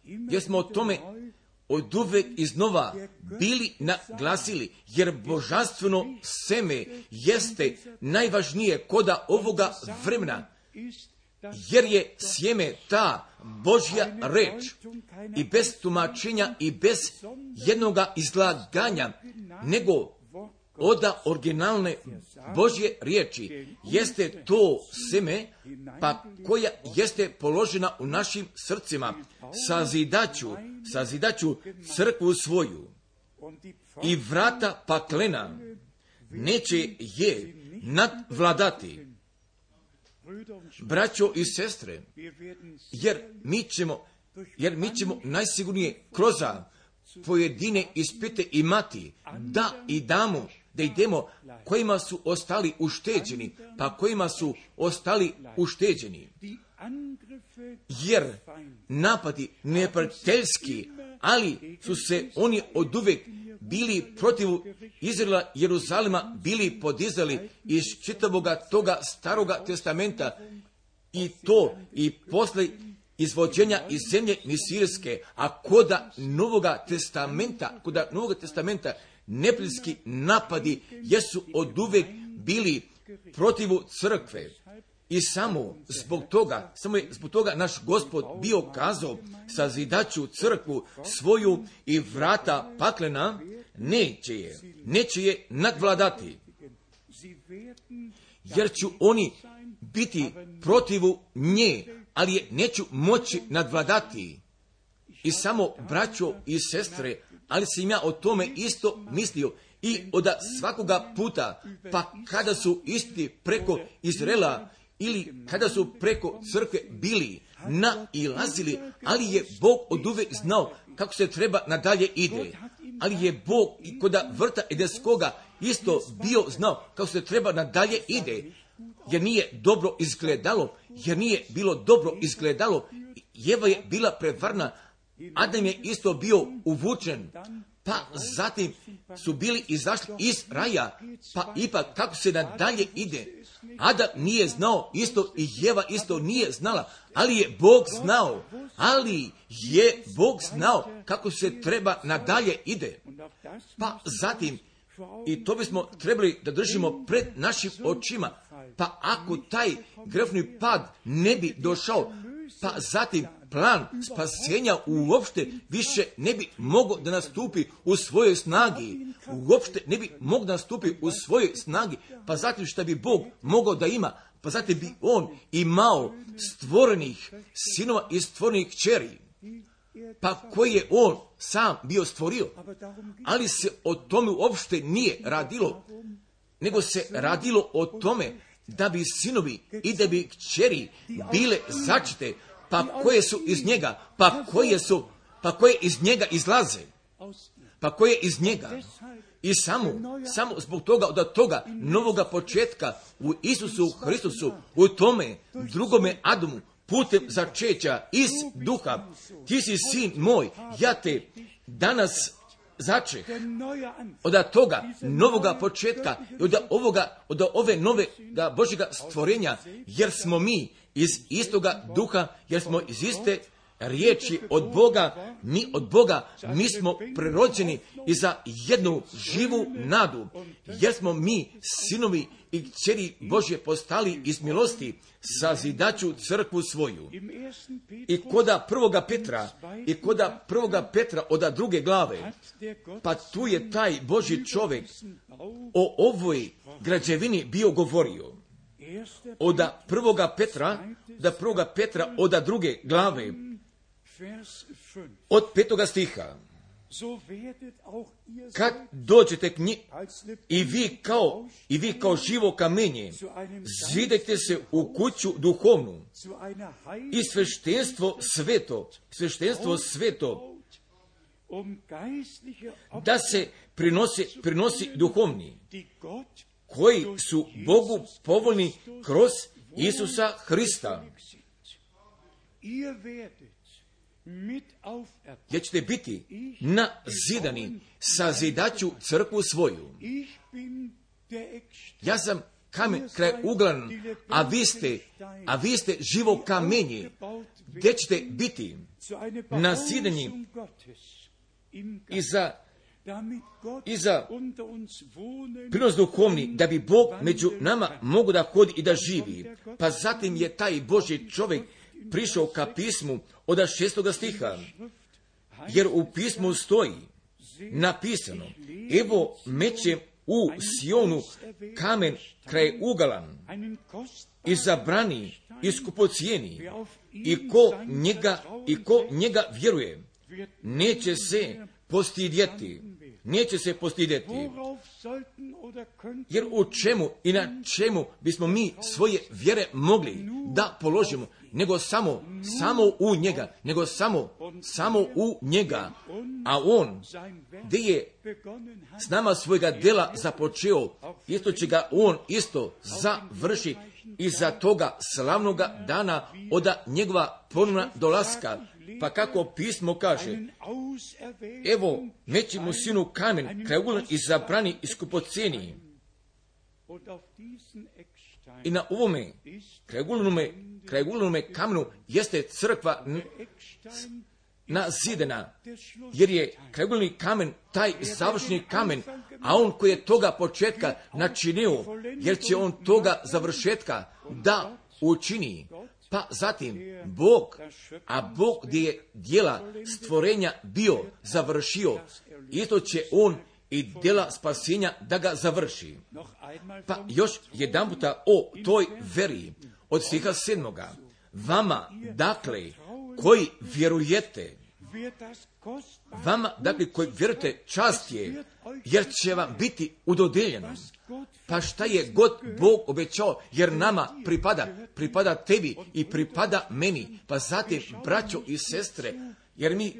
Jer smo o tome oduvek iznova bili naglasili, jer božanstveno seme jeste najvažnije koda ovoga vremena, jer je sjeme ta Božja reč, i bez tumačenja i bez jednoga izlaganja, nego od originalne Božje riječi jeste to seme, pa koja jeste položena u našim srcima. Sazidaću crkvu svoju i vrata paklena neće je nadvladati. Braćo i sestre, jer mi ćemo najsigurnije kroz pojedine ispite imati, da idemo kojima su ostali ušteđeni, jer napadi neprijateljski, ali su se oni oduvek bili protiv Izraela, Jeruzalema, bili podizali iz čitavoga toga Staroga testamenta, i to i posle izvođenja iz zemlje Misirske, a koda Novoga testamenta neprijateljski napadi jesu oduvek bili protiv crkve. I samo je zbog toga naš Gospod bio kazao, sazidaću crkvu svoju i vrata paklena neće je nadvladati, jer ću oni biti protiv nje, ali je neću moći nadvladati. I samo, braćo i sestre, ali sam ja o tome isto mislio i od svakoga puta, pa kada su isti preko Izraela ili kada su preko crkve bili nailazili, ali je Bog oduvek znao kako se treba nadalje ide. Ali je Bog i kod vrta Edenskoga isto bio znao kako se treba nadalje ide, jer nije bilo dobro izgledalo. Jeva je bila prevarna, Adam je isto bio uvučen, pa zatim su bili izašli iz raja, pa ipak kako se nadalje ide. Adam nije znao isto i Jeva isto nije znala, ali je Bog znao kako se treba nadalje ide. Pa zatim, i to bismo trebali da držimo pred našim očima, pa ako taj grefni pad ne bi došao, pa zatim plan spasenja uopšte više ne bi mogao da nastupi u svojoj snagi. Uopšte ne bi mogao da nastupi u svojoj snagi, pa zatim što bi Bog mogao da ima, pa zatim bi on imao stvorenih sinova i stvorenih kćeri, pa koje je on sam bio stvorio. Ali se o tome uopšte nije radilo, nego se radilo o tome da bi sinovi i da bi kćeri bile začete, pa koje su iz njega, pa koje iz njega izlaze, pa koje iz njega. I samo zbog toga, od toga novoga početka u Isusu Hristusu, u tome drugome Adamu, putem začeća iz duha, ti si sin moj, ja te danas začeh. Od toga novoga početka, od ove nove Božjega stvorenja, jer smo mi iz istoga duha, jer smo iz iste riječi od Boga, mi smo prerođeni i za jednu živu nadu, jer smo mi sinovi i kćeri Božje postali iz milosti, sazidaću crkvu svoju. I koda prvoga Petra od druge glave, pa tu je taj Božji čovjek o ovoj građevini bio govorio. Od prvoga Petra od druge glave, od 5. stiha. Kad dođete k njih i vi kao živo kamenje, zidajte se u kuću duhovnu i sveštenstvo sveto, da se prinosi duhovni, koji su Bogu povoljni kroz Isusa Hrista. Jer ćete biti nazidani, sazidaću crkvu svoju. Ja sam kamen kraj uglan, a vi ste živo kamenje, gdje ćete biti nazidani i za prinos duhovni, da bi Bog među nama mogu da hodi i da živi. Pa zatim je taj Božji čovjek prišao ka pismu od 6. stiha, jer u pismu stoji napisano: evo mećem u Sionu kamen kraj ugalan, izabrani i skupocijeni, i ko njega vjeruje, neće se postidjeti. Jer u čemu i na čemu bismo mi svoje vjere mogli da položimo, nego samo u njega, a on gdje je s nama svojega dela započeo, isto će ga on isto završi i za toga slavnoga dana od njegova ponovna dolaska. Pa kako pismo kaže: evo mećemo sinu kamen kraj uglan izabrani i skupocjeni. I na ovome kraj uglanome kamenu jeste crkva nazidana, jer je krajuglani kamen taj završni kamen, a on koji je toga početka načinio, jer će on toga završetka da učini. Pa zatim Bog gdje je djela stvorenja bio završio, isto će on i djela spasenja da ga završi. Pa još jedan puta o toj veri od stiha 7. Vama, dakle, koji vjerujete, čast je, jer će vam biti udodeljeno. Pa šta je god Bog obećao, jer nama pripada tebi i pripada meni. Pa zatim, braćo i sestre, jer mi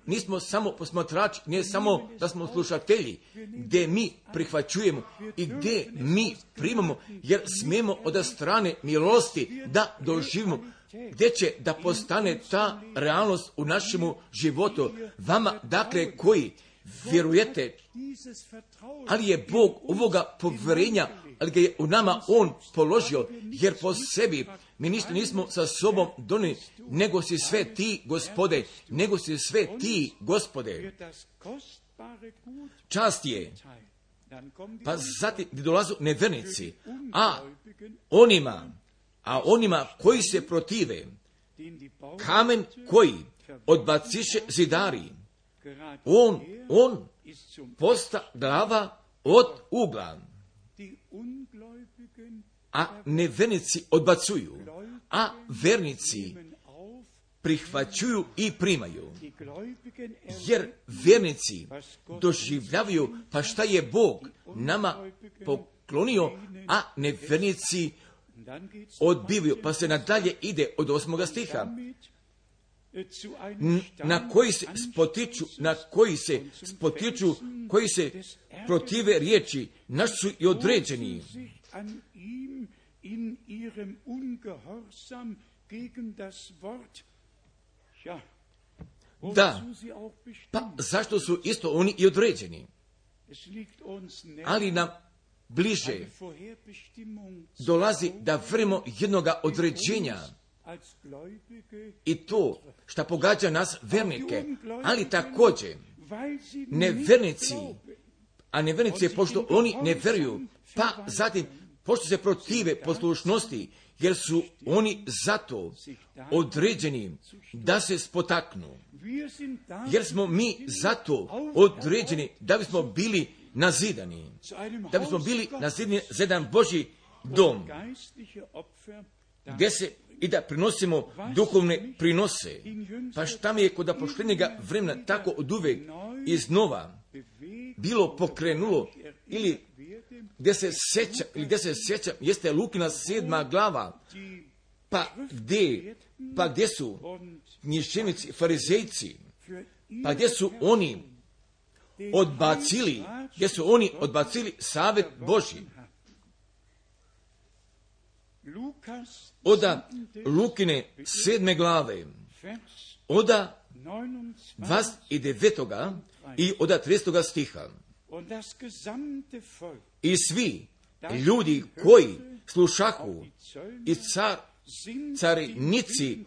nismo samo posmatrači, ne samo da smo slušatelji, gdje mi prihvaćujemo i gdje mi primamo, jer smijemo od strane milosti da doživimo, gdje će da postane ta realnost u našemu životu. Vama, dakle, koji vjerujete, ali je Bog ovoga povjerenja, ali ga je u nama on položio, jer po sebi mi ništa nismo sa sobom donijeli, nego si sve ti, Gospode. Čast je. Pa zatim dolazu nevjernici, a onima koji se protive, kamen koji odbaciše zidari, on posta glava od ugla, a nevernici odbacuju, a vernici prihvaćuju i primaju. Jer vernici doživljavaju pa šta je Bog nama poklonio, a nevernici odbivaju. Pa se nadalje ide od 8. stiha. Na koji se spotiču, koji se protive riječi, naš su i određeni. Da, pa zašto su isto oni i određeni? Ali nam bliže dolazi da vremo jednoga određenja i to što pogađa nas vernike, ali također nevernici, a nevernici pošto oni ne veruju, pa zatim pošto se protive poslušnosti, jer su oni zato određeni da se spotaknu. Jer smo mi zato određeni da bismo bili nazidani. Da bismo bili nazidani za jedan Božji dom. Gdje se i da prinosimo duhovne prinose. Pa šta mi je kod poštenjega vremena tako oduvek iznova bilo pokrenulo ili gdje se sjeća, jeste Lukina 7. glava, pa gdje su književnici, farizejci, pa gdje su oni odbacili savjet Božji. Oda Lukine 7. glave, oda 29. i oda 30. stiha. I svi ljudi koji slušahu i carinici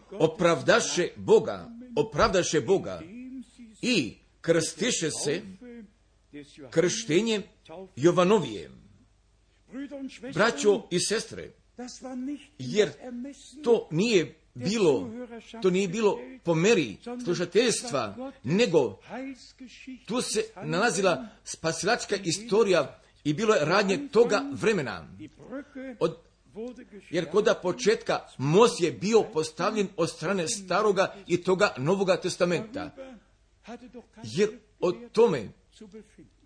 opravdaše Boga i krstiše se krštenjem Jovanovije. Braćo i sestre, jer to nije bilo po meri slušateljstva, nego tu se nalazila spasilačka istorija i bilo je radnje toga vremena. Jer kod početka most je bio postavljen od strane staroga i toga Novoga testamenta. Jer o tome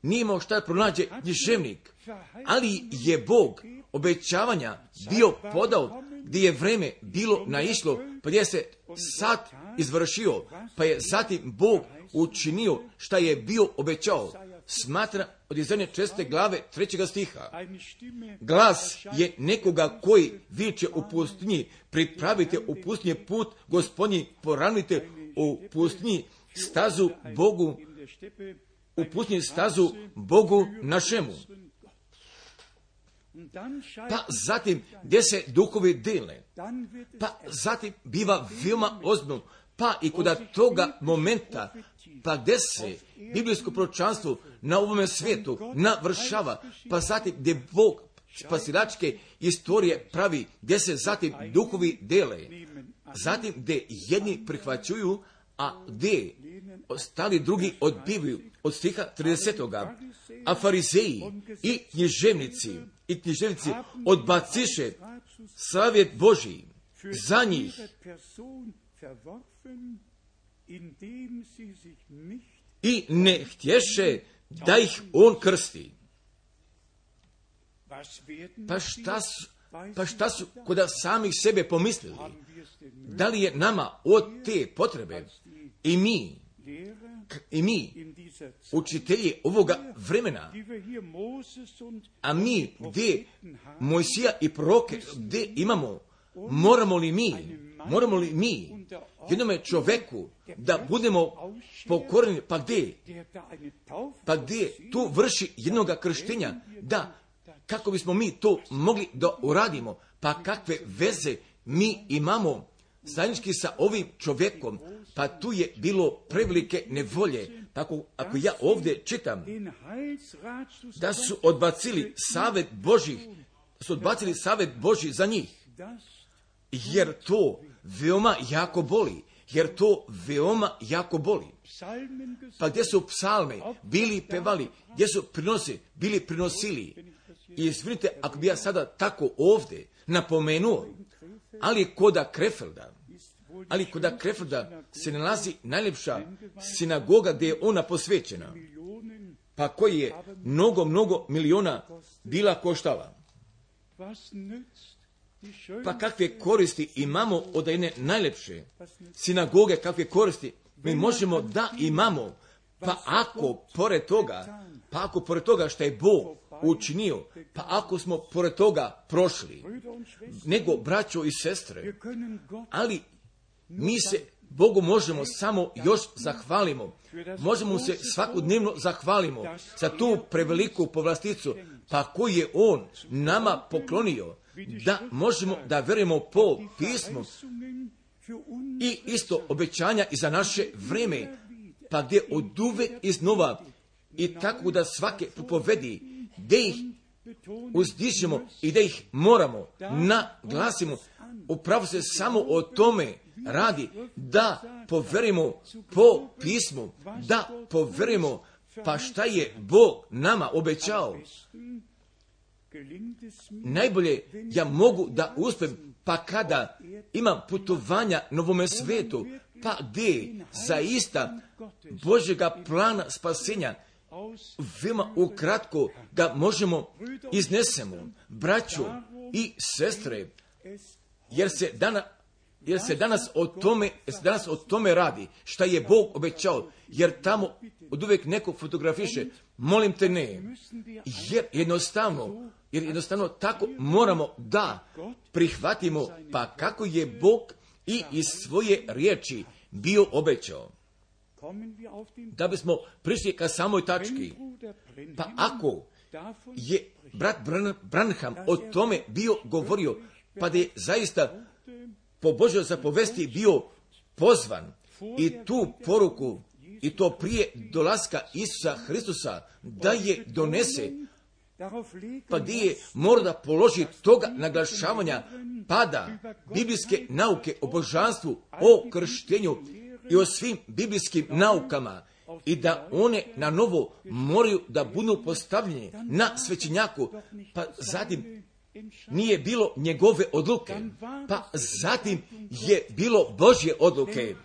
nije imao šta pronađe književnik, ali je Bog obećavanja bio podao gdje je vreme bilo naišlo, pa gdje se sad izvršio, pa je zatim Bog učinio šta je bio obećao. Smatra od Izaije 4. glave 3. stiha. Glas je nekoga koji viče u pustinji, pripravite u pustinji put Gospodnji, poravnite u pustinji stazu Bogu, u pustinji stazu Bogu našemu. Pa zatim gdje se duhovi dele, pa zatim biva veoma ozbiljno, pa i kod toga momenta, pa gdje se biblijsko proročanstvo na ovome svijetu navršava, pa zatim gdje Bog spasilačke istorije pravi, gdje se zatim duhovi dele, zatim gdje jedni prihvaćuju, a gdje ostali drugi odbivaju, od stiha 30. A farizeji i književnici odbaciše savjet Božji za njih i ne htješe da ih on krsti. Pa šta su kod samih sebe pomislili? Da li je nama od te potrebe i mi učitelji ovoga vremena, a mi gdje Mojsija i proroke gdje imamo, moramo li mi jednome čoveku da budemo pokoreni, pa gdje tu vrši jednoga krštenja, da kako bismo mi to mogli da uradimo, pa kakve veze mi imamo zajednički sa ovim čovjekom, pa tu je bilo prevelike nevolje. Tako, ako ja ovdje čitam da su odbacili savjet Božji za njih, jer to veoma jako boli. Jer to veoma jako boli. Pa gdje su psalme bili pevali, gdje su prinose bili prinosili. I izvinite, ako bi ja sada tako ovdje napomenuo, ali koda Krefelda se nalazi najljepša sinagoga gdje je ona posvećena, pa koji je mnogo miliona bila koštala. Pa kakve koristi imamo od jedne najljepše sinagoge, kakve koristi mi možemo da imamo, pa ako pored toga što je Bog učinio, pa ako smo pored toga prošli, nego braćo i sestre, ali mi se Bogu možemo samo još zahvalimo. Možemo se svakodnevno zahvalimo za tu preveliku povlasticu, pa koju je On nama poklonio, da možemo da verujemo po pismu i isto obećanja i za naše vreme, pa gdje oduvek iznova i tako da svake propovedi, gdje ih uzdižemo i da ih moramo naglasimo, upravo se samo o tome radi, da poverimo po pismu, da poverimo pa šta je Bog nama obećao. Najbolje ja mogu da uspem pa kada imam putovanja na ovome svetu, pa gdje zaista Božjega plana spasenja veoma ukratko ga možemo iznesemo, braćo i sestre, jer se danas o tome radi, šta je Bog obećao, jer tamo oduvek neko fotografiše, molim te ne, jer jednostavno tako moramo da prihvatimo, pa kako je Bog i iz svoje riječi bio obećao. Da bismo prišli ka samoj tački, pa ako je brat Branham o tome bio govorio, pa da je zaista po Božjoj zapovesti bio pozvan i tu poruku, i to prije dolaska Isusa Hristusa, da je donese, pa gdje je mora da položi toga naglašavanja pada biblijske nauke o božanstvu, o krštenju i o svim biblijskim naukama, i da one na novo moraju da budu postavljene na svećenjaku, pa zatim nije bilo njegove odluke, pa zatim je bilo Božje odluke.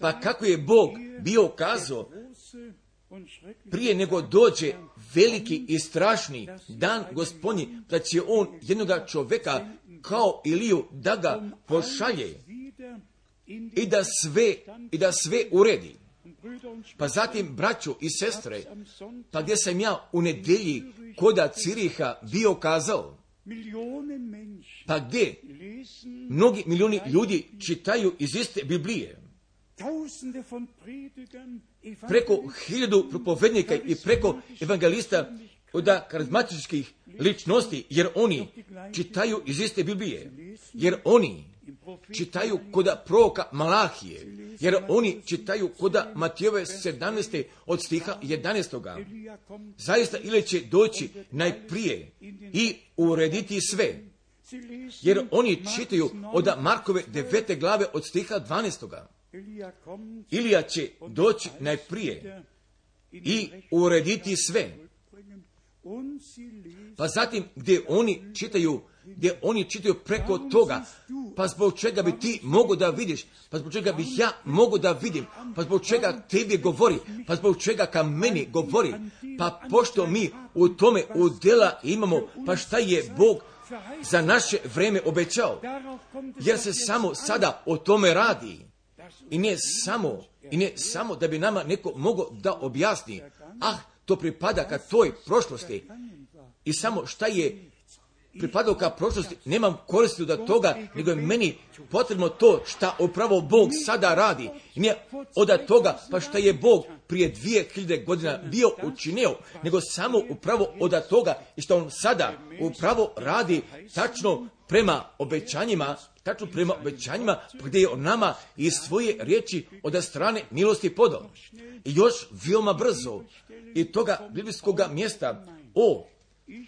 Pa kako je Bog bio kazao, prije nego dođe veliki i strašni dan Gospodnji, da će on jednoga čovjeka kao Iliju da ga pošalje i da sve uredi. Pa zatim, braćo i sestre, pa gdje sam ja u nedjelji koda Ciriha bio kazao, pa gdje mnogi milijuni ljudi čitaju iz iste Biblije, preko 1000 propovednika i preko evangelista od karizmatičkih ličnosti, jer oni čitaju iz iste Biblije, jer oni čitaju koda proroka Malahije, jer oni čitaju koda Matijove 17. od stiha 11. Zaista ili će doći najprije i urediti sve, jer oni čitaju od Markove 9. glave od stiha 12. Ilija će doći najprije i urediti sve. Pa zatim gdje oni čitaju preko toga, pa zbog čega bi ti mogo da vidiš, pa zbog čega bih ja mogo da vidim, pa zbog čega tebi govori, pa zbog čega ka meni govori, pa pošto mi u tome udjela imamo, pa šta je Bog za naše vreme obećao, jer se samo sada o tome radi. I ne samo da bi nama neko mogao da objasni, to pripada ka toj prošlosti. I samo šta je pripadao ka prošlosti, nemam koristi od toga, nego je meni potrebno to šta upravo Bog sada radi. I nije od toga pa šta je Bog prije 2000 godina bio učinio, nego samo upravo od toga i što on sada upravo radi tačno prema obećanjima, gdje je on nama iz svoje riječi od strane milosti podao. I još veoma brzo i toga biblijskog mjesta o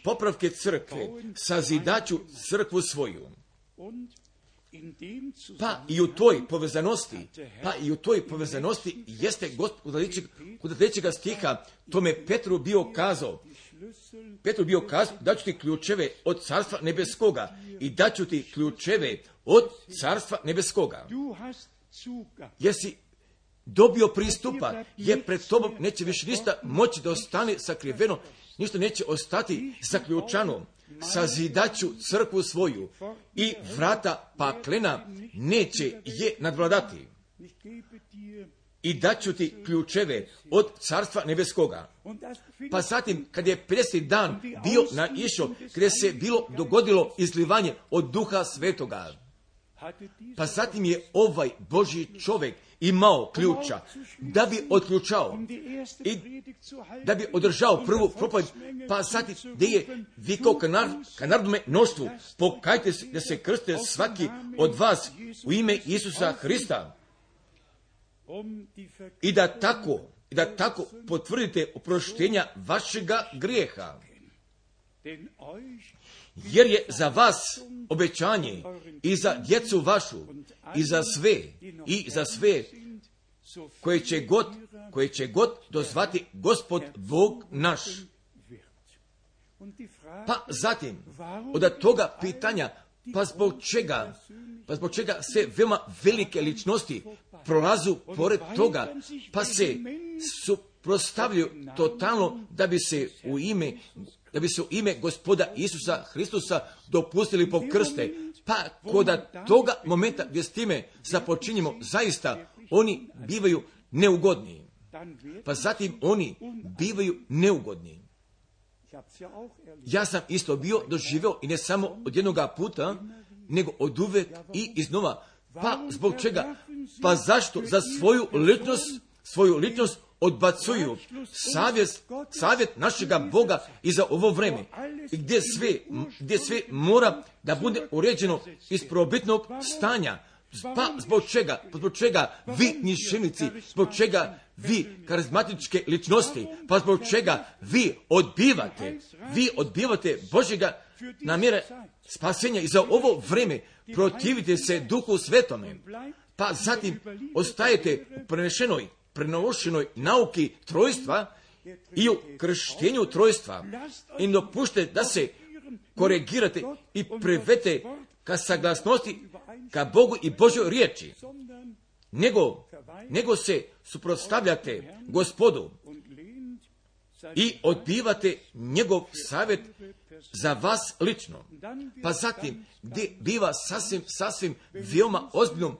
popravke crkve, sazidaću crkvu svoju. Pa i u toj povezanosti jeste Gospod kod 3. stiha tome Petru bio kazao, daću ti ključeve od Carstva nebeskoga i daću ti ključeve od Carstva nebeskoga. Jesi dobio pristupa, jer pred tobom neće više ništa moći da ostane sakriveno, ništa neće ostati zaključano. Sazidaću crkvu svoju i vrata paklena neće je nadvladati. I daću ti ključeve od Carstva nebeskoga. Pa zatim, kad je 50. dan bio naišao, gdje se bilo dogodilo izlivanje od Duha Svetoga, pa zatim je ovaj Božji čovjek imao ključa da bi otključao i da bi održao prvu propovjed, pa zatim gdje je vikao ka narodnome mnoštvu, pokajte se da se krste svaki od vas u ime Isusa Hrista i da tako potvrdite oproštenja vašega grijeha. Jer je za vas obećanje i za djecu vašu i za sve koje će god dozvati Gospod Bog naš. Pa zatim, od toga pitanja, pa zbog čega se veoma velike ličnosti prolazu pored toga, pa se suprotstavljaju totalno da bi se u ime Gospoda Isusa Hristusa dopustili po krste. Pa kod toga momenta gdje s time započinjemo, zaista oni bivaju neugodni. Pa zatim oni bivaju neugodni. Ja sam isto bio doživio i ne samo od jednoga puta, nego od uvek i iznova. Pa zbog čega? Pa zašto? Za svoju ličnost odbacuju savjet našega Boga i za ovo vreme, gdje sve mora da bude uređeno iz prvobitnog stanja. Pa zbog čega vi njišenici, zbog čega vi karizmatičke ličnosti, pa zbog čega vi odbivate Božjega namjere spasenja i za ovo vreme protivite se Duhu Svetome, pa zatim ostajete u prenošenoj nauki trojstva i u krštenju trojstva i dopušte da se korigirate i privete ka saglasnosti ka Bogu i Božjoj riječi, nego se suprotstavljate Gospodu i odbivate njegov savjet za vas lično. Pa zatim, gdje biva sasvim veoma ozbiljno,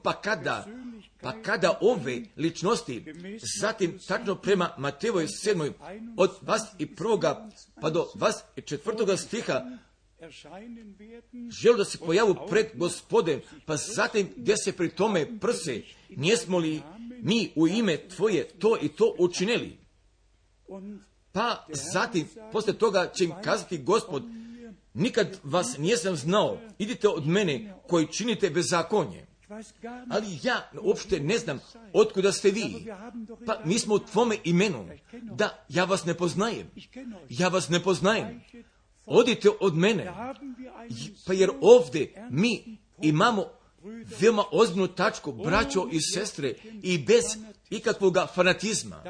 pa kada ove ličnosti, zatim tačno prema Matejevoj 7. od 21. pa do 24. stiha, žele da se pojavu pred Gospodem, pa zatim gdje se pri tome prse, nismo li mi u ime Tvoje to i to učinili? Pa zatim, poslije toga će im kazati Gospod, nikad vas nisam znao, idite od mene koji činite bezakonje. Ali ja uopšte ne znam otkuda ste vi. Pa mi smo u Tvome imenu. Da, ja vas ne poznajem. Odite od mene. Pa jer ovdje mi imamo veoma ozbiljnu tačku, braćo i sestre, i bez ikakvoga fanatizma.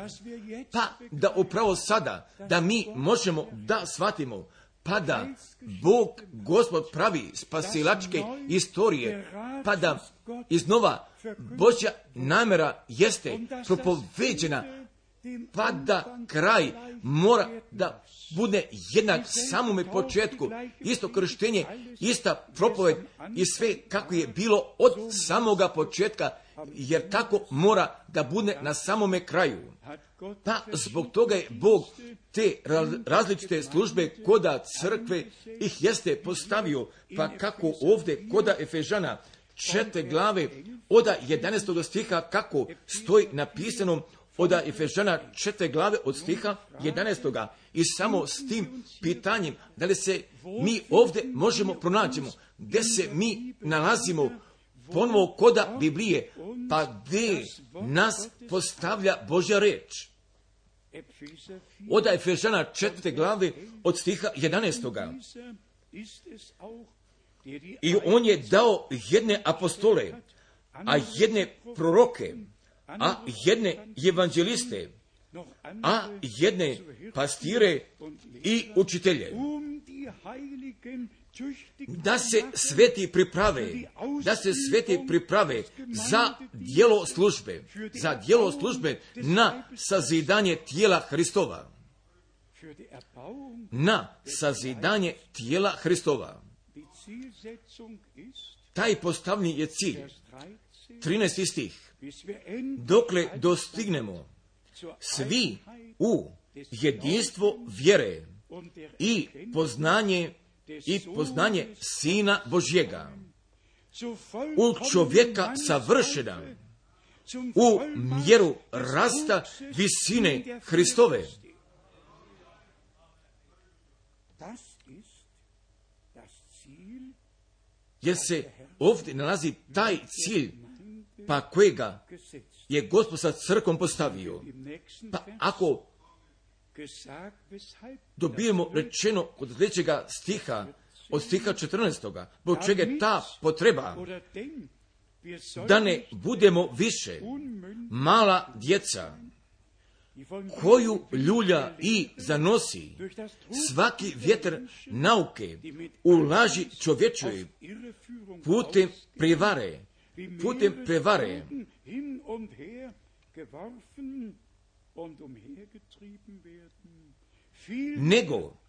Pa da upravo sada, da mi možemo da shvatimo, pa da Bog, Gospod pravi spasilačke istorije, pa da iznova Božja namjera jeste propoveđena, pa da kraj mora da bude jednak samome početku, isto krštenje, ista propoved i sve kako je bilo od samoga početka, jer tako mora da bude na samome kraju. Pa zbog toga je Bog te različite službe koda crkve ih jeste postavio, pa kako ovdje koda Efežana 4. glave od 11. stiha kako stoji napisano od Efežana 4. glave od stiha 11. I samo s tim pitanjem da li se mi ovdje možemo pronaćemo, gdje se mi nalazimo ponovo koda Biblije, pa gdje nas postavlja Božja reč. Od Efežana 4. glave od stiha 11. I on je dao jedne apostole, a jedne proroke, a jedne evanđeliste, a jedne pastire i učitelje. Da se sveti priprave za djelo službe na sazidanje tijela Hristova. Taj postavljeni je cilj. 13. stih. Dokle dostignemo svi u jedinstvo vjere i poznanje Sina Božjega, u čovjeka savršena, u mjeru rasta visine Hristove. Jer se ovdje nalazi taj cilj, pa kojega je Gospod sa crkvom postavio. Pa ako dobijemo rečeno od sljedećega stiha, od stiha 14. Zbog čega je ta potreba da ne budemo više mala djeca koju ljulja i zanosi svaki vjetar nauke u laži čovječoj putem prevare,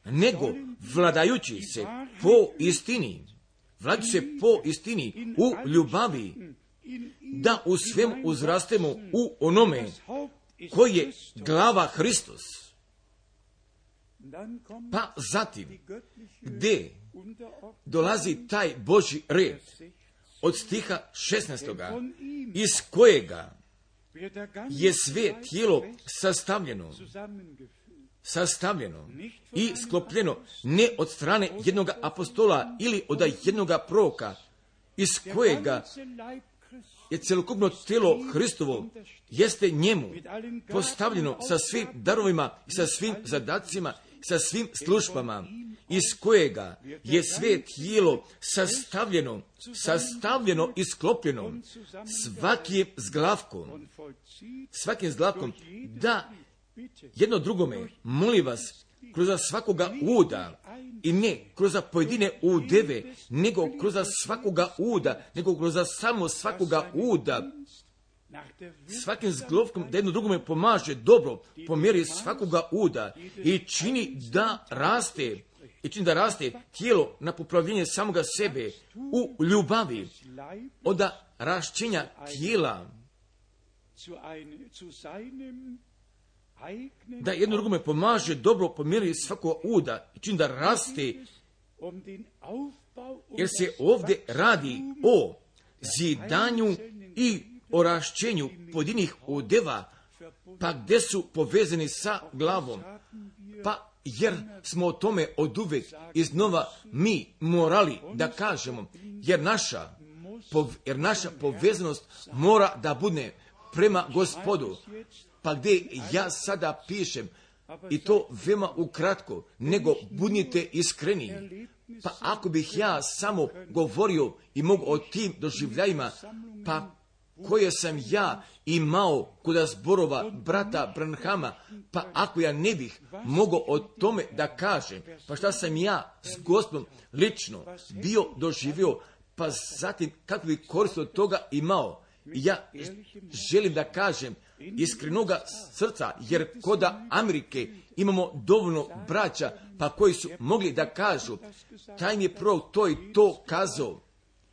nego vladajući se po istini u ljubavi, da u svemu uzrastemo u onome koji je glava Hristos. Pa zatim, gdje dolazi taj Božji red od stiha 16. iz kojega je sve tijelo sastavljeno i sklopljeno ne od strane jednog apostola ili od jednog proroka, iz kojega je cjelokupno tijelo Hristovo, jeste njemu postavljeno sa svim darovima, sa svim zadacima, sa svim službama, iz kojega je sve tijelo sastavljeno i sklopljeno svakim zglavkom, da jedno drugome, molim vas, kroz svakoga uda, i ne kroz pojedine udeve, nego kroz svakoga uda, nego kroz samo svakoga uda, svakim zglavkom da jedno drugome pomaže dobro po mjeri svakoga uda i čini da raste tijelo na popravljenje samoga sebe u ljubavi, od rašćenja tijela, da jedno drugome pomaže dobro po mjeri svakoga uda i čini da raste, jer se ovdje radi o zidanju i o rašćenju pojedinih udeva, pa gdje su povezani sa glavom, pa jer smo o tome oduvek iznova mi morali da kažemo, jer naša povezanost mora da bude prema Gospodu. Pa gdje ja sada pišem, i to veoma ukratko, nego budite iskreni. Pa ako bih ja samo govorio i mogu o tim doživljajima, pa koje sam ja imao kod zborova brata Branhama, pa ako ja ne bih mogao o tome da kažem, pa šta sam ja s Gospodom lično bio doživio, pa zatim kako bi korist od toga imao. Ja želim da kažem iskrenoga srca, jer kod Amerike imamo dovoljno braća, pa koji su mogli da kažu, taj mi je prorok to i to kazao,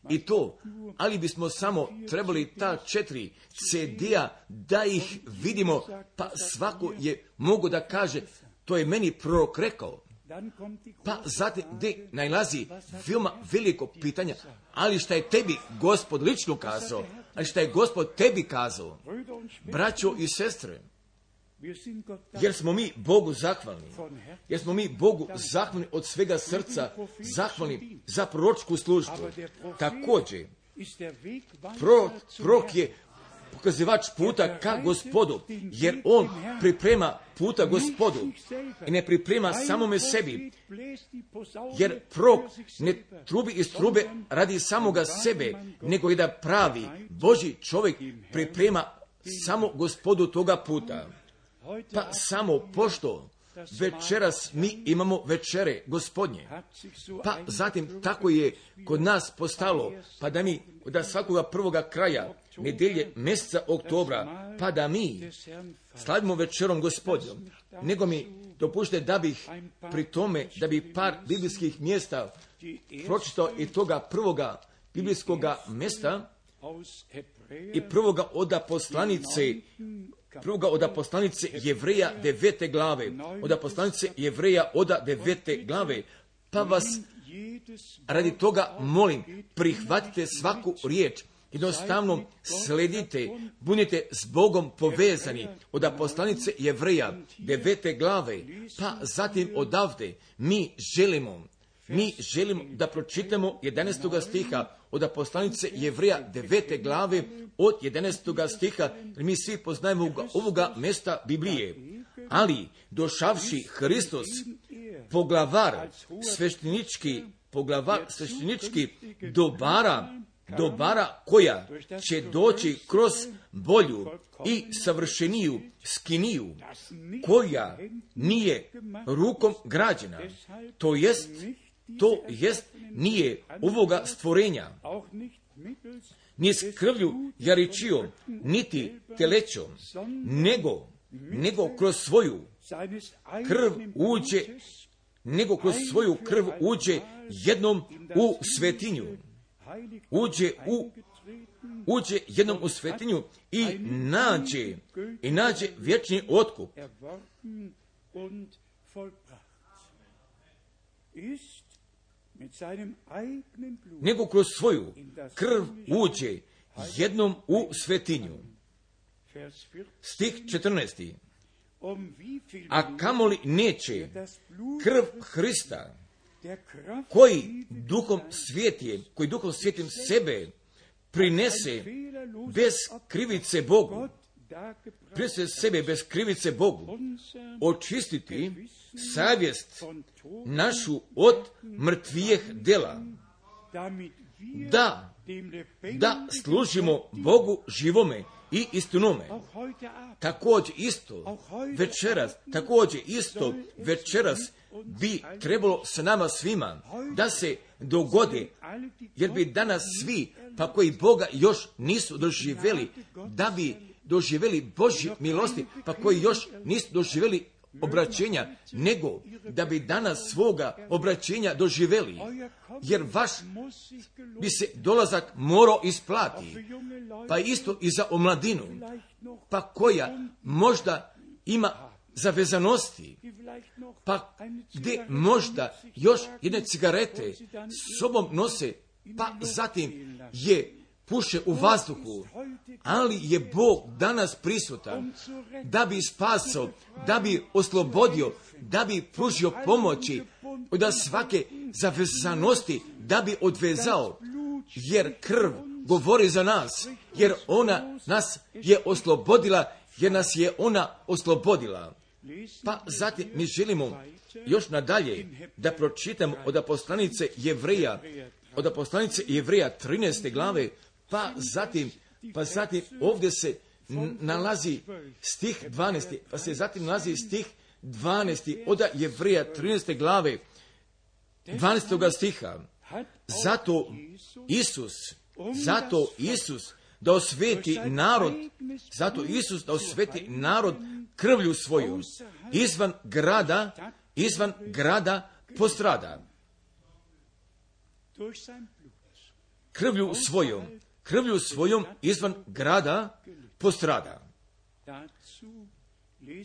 i to, ali bismo samo trebali ta 4 CD-a da ih vidimo, pa svako je mogo da kaže, to je meni prorok rekao. Pa zatim gdje najlazi veoma veliko pitanja, ali šta je tebi Gospod lično kazao, ali šta je Gospod tebi kazao, braćo i sestre, jer smo mi Bogu zahvalni, od svega srca zahvalni za proročku službu. Također, prorok je pokazivač puta ka Gospodu, jer on priprema puta Gospodu i ne priprema samome sebi, jer prorok ne trubi iz trube radi samoga sebe, nego i da pravi Božji čovjek priprema samo Gospodu toga puta. Pa samo pošto večeras mi imamo večere Gospodnje, pa zatim tako je kod nas postalo, pa da mi da svakoga prvoga kraja nedelje mjeseca oktobra, pa da mi slavimo večerom Gospodnjom, nego mi dopušte da bih pri tome, da bi par biblijskih mjesta pročitao i toga prvoga biblijskoga mjesta i prvoga od poslanice Jevreja 9. glave, od poslanice Jevreja od 9. glave, pa vas radi toga molim, prihvatite svaku riječ, jednostavno sledite, budite s Bogom povezani od poslanice Jevreja 9. glave, pa zatim odavde mi želimo da pročitamo 11. stiha od poslanice Jevreja 9. glave od 11. stiha, jer mi svi poznajemo ovoga mjesta Biblije. Ali došavši Hristos, poglavar sveštenički dobara koja će doći kroz bolju i savršeniju skiniju, koja nije rukom građena, to jest nije ovoga stvorenja, ni s krvlju jaričijom, niti telećom, nego kroz svoju krv uđe jednom u svetinju. Uđe jednom u svetinju i nađe vječni otkup. Nego kroz svoju krv uđe jednom u svetinju. Stih 14. A kamoli neće krv Hrista, koji duhom svijetim sebe prinese bez krivice Bogu, očistiti savjest našu od mrtvijeh dela, da služimo Bogu živome i istinome. Također isto večeras bi trebalo sa nama svima da se dogode, jer bi danas svi, pa koji Boga još nisu doživjeli, da bi doživjeli Božji milosti, pa koji još nisu doživjeli obraćenja, nego da bi danas svoga obraćenja doživjeli, jer vaš bi se dolazak morao isplati, pa isto i za omladinu, pa koja možda ima zavezanosti, pa gdje možda još jedne cigarete s sobom nose, pa zatim je puše u vazduhu, ali je Bog danas prisutan da bi spasao, da bi oslobodio, da bi pružio pomoći od svake zavezanosti, da bi odvezao, jer krv govori za nas, jer ona nas je oslobodila, Pa zatim mi želimo još nadalje da pročitamo od poslanice Jevreja 13. glave, pa zatim ovdje se nalazi stih 12. od Jevreja 13. glave 12. stiha. Zato Isus da osveti narod krvlju svojom izvan grada postrada. Krvlju svojom izvan grada postrada.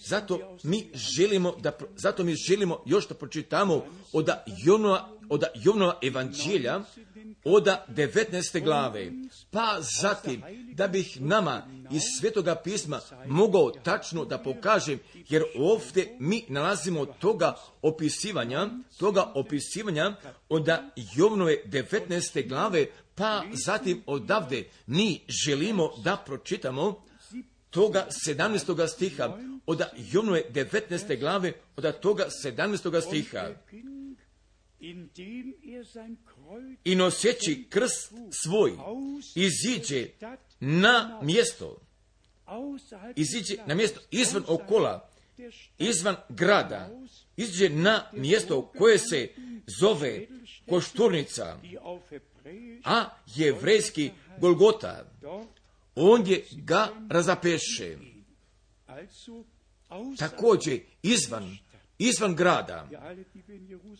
Zato mi želimo još da pročitamo od Jovnova evanđelja, od 19. glave, pa zatim da bih nama iz Svetoga pisma mogao tačno da pokažem, jer ovdje mi nalazimo toga opisivanja od Jovnove 19. glave, pa zatim odavde mi želimo da pročitamo toga 17. stiha, od Jovnove 19. glave, od toga 17. stiha. I noseći krst svoj, iziđe na mjesto izvan okola, izvan grada, iziđe na mjesto koje se zove Košturnica, a jevrejski Golgota. Ondje ga razapeše. Također izvan grada.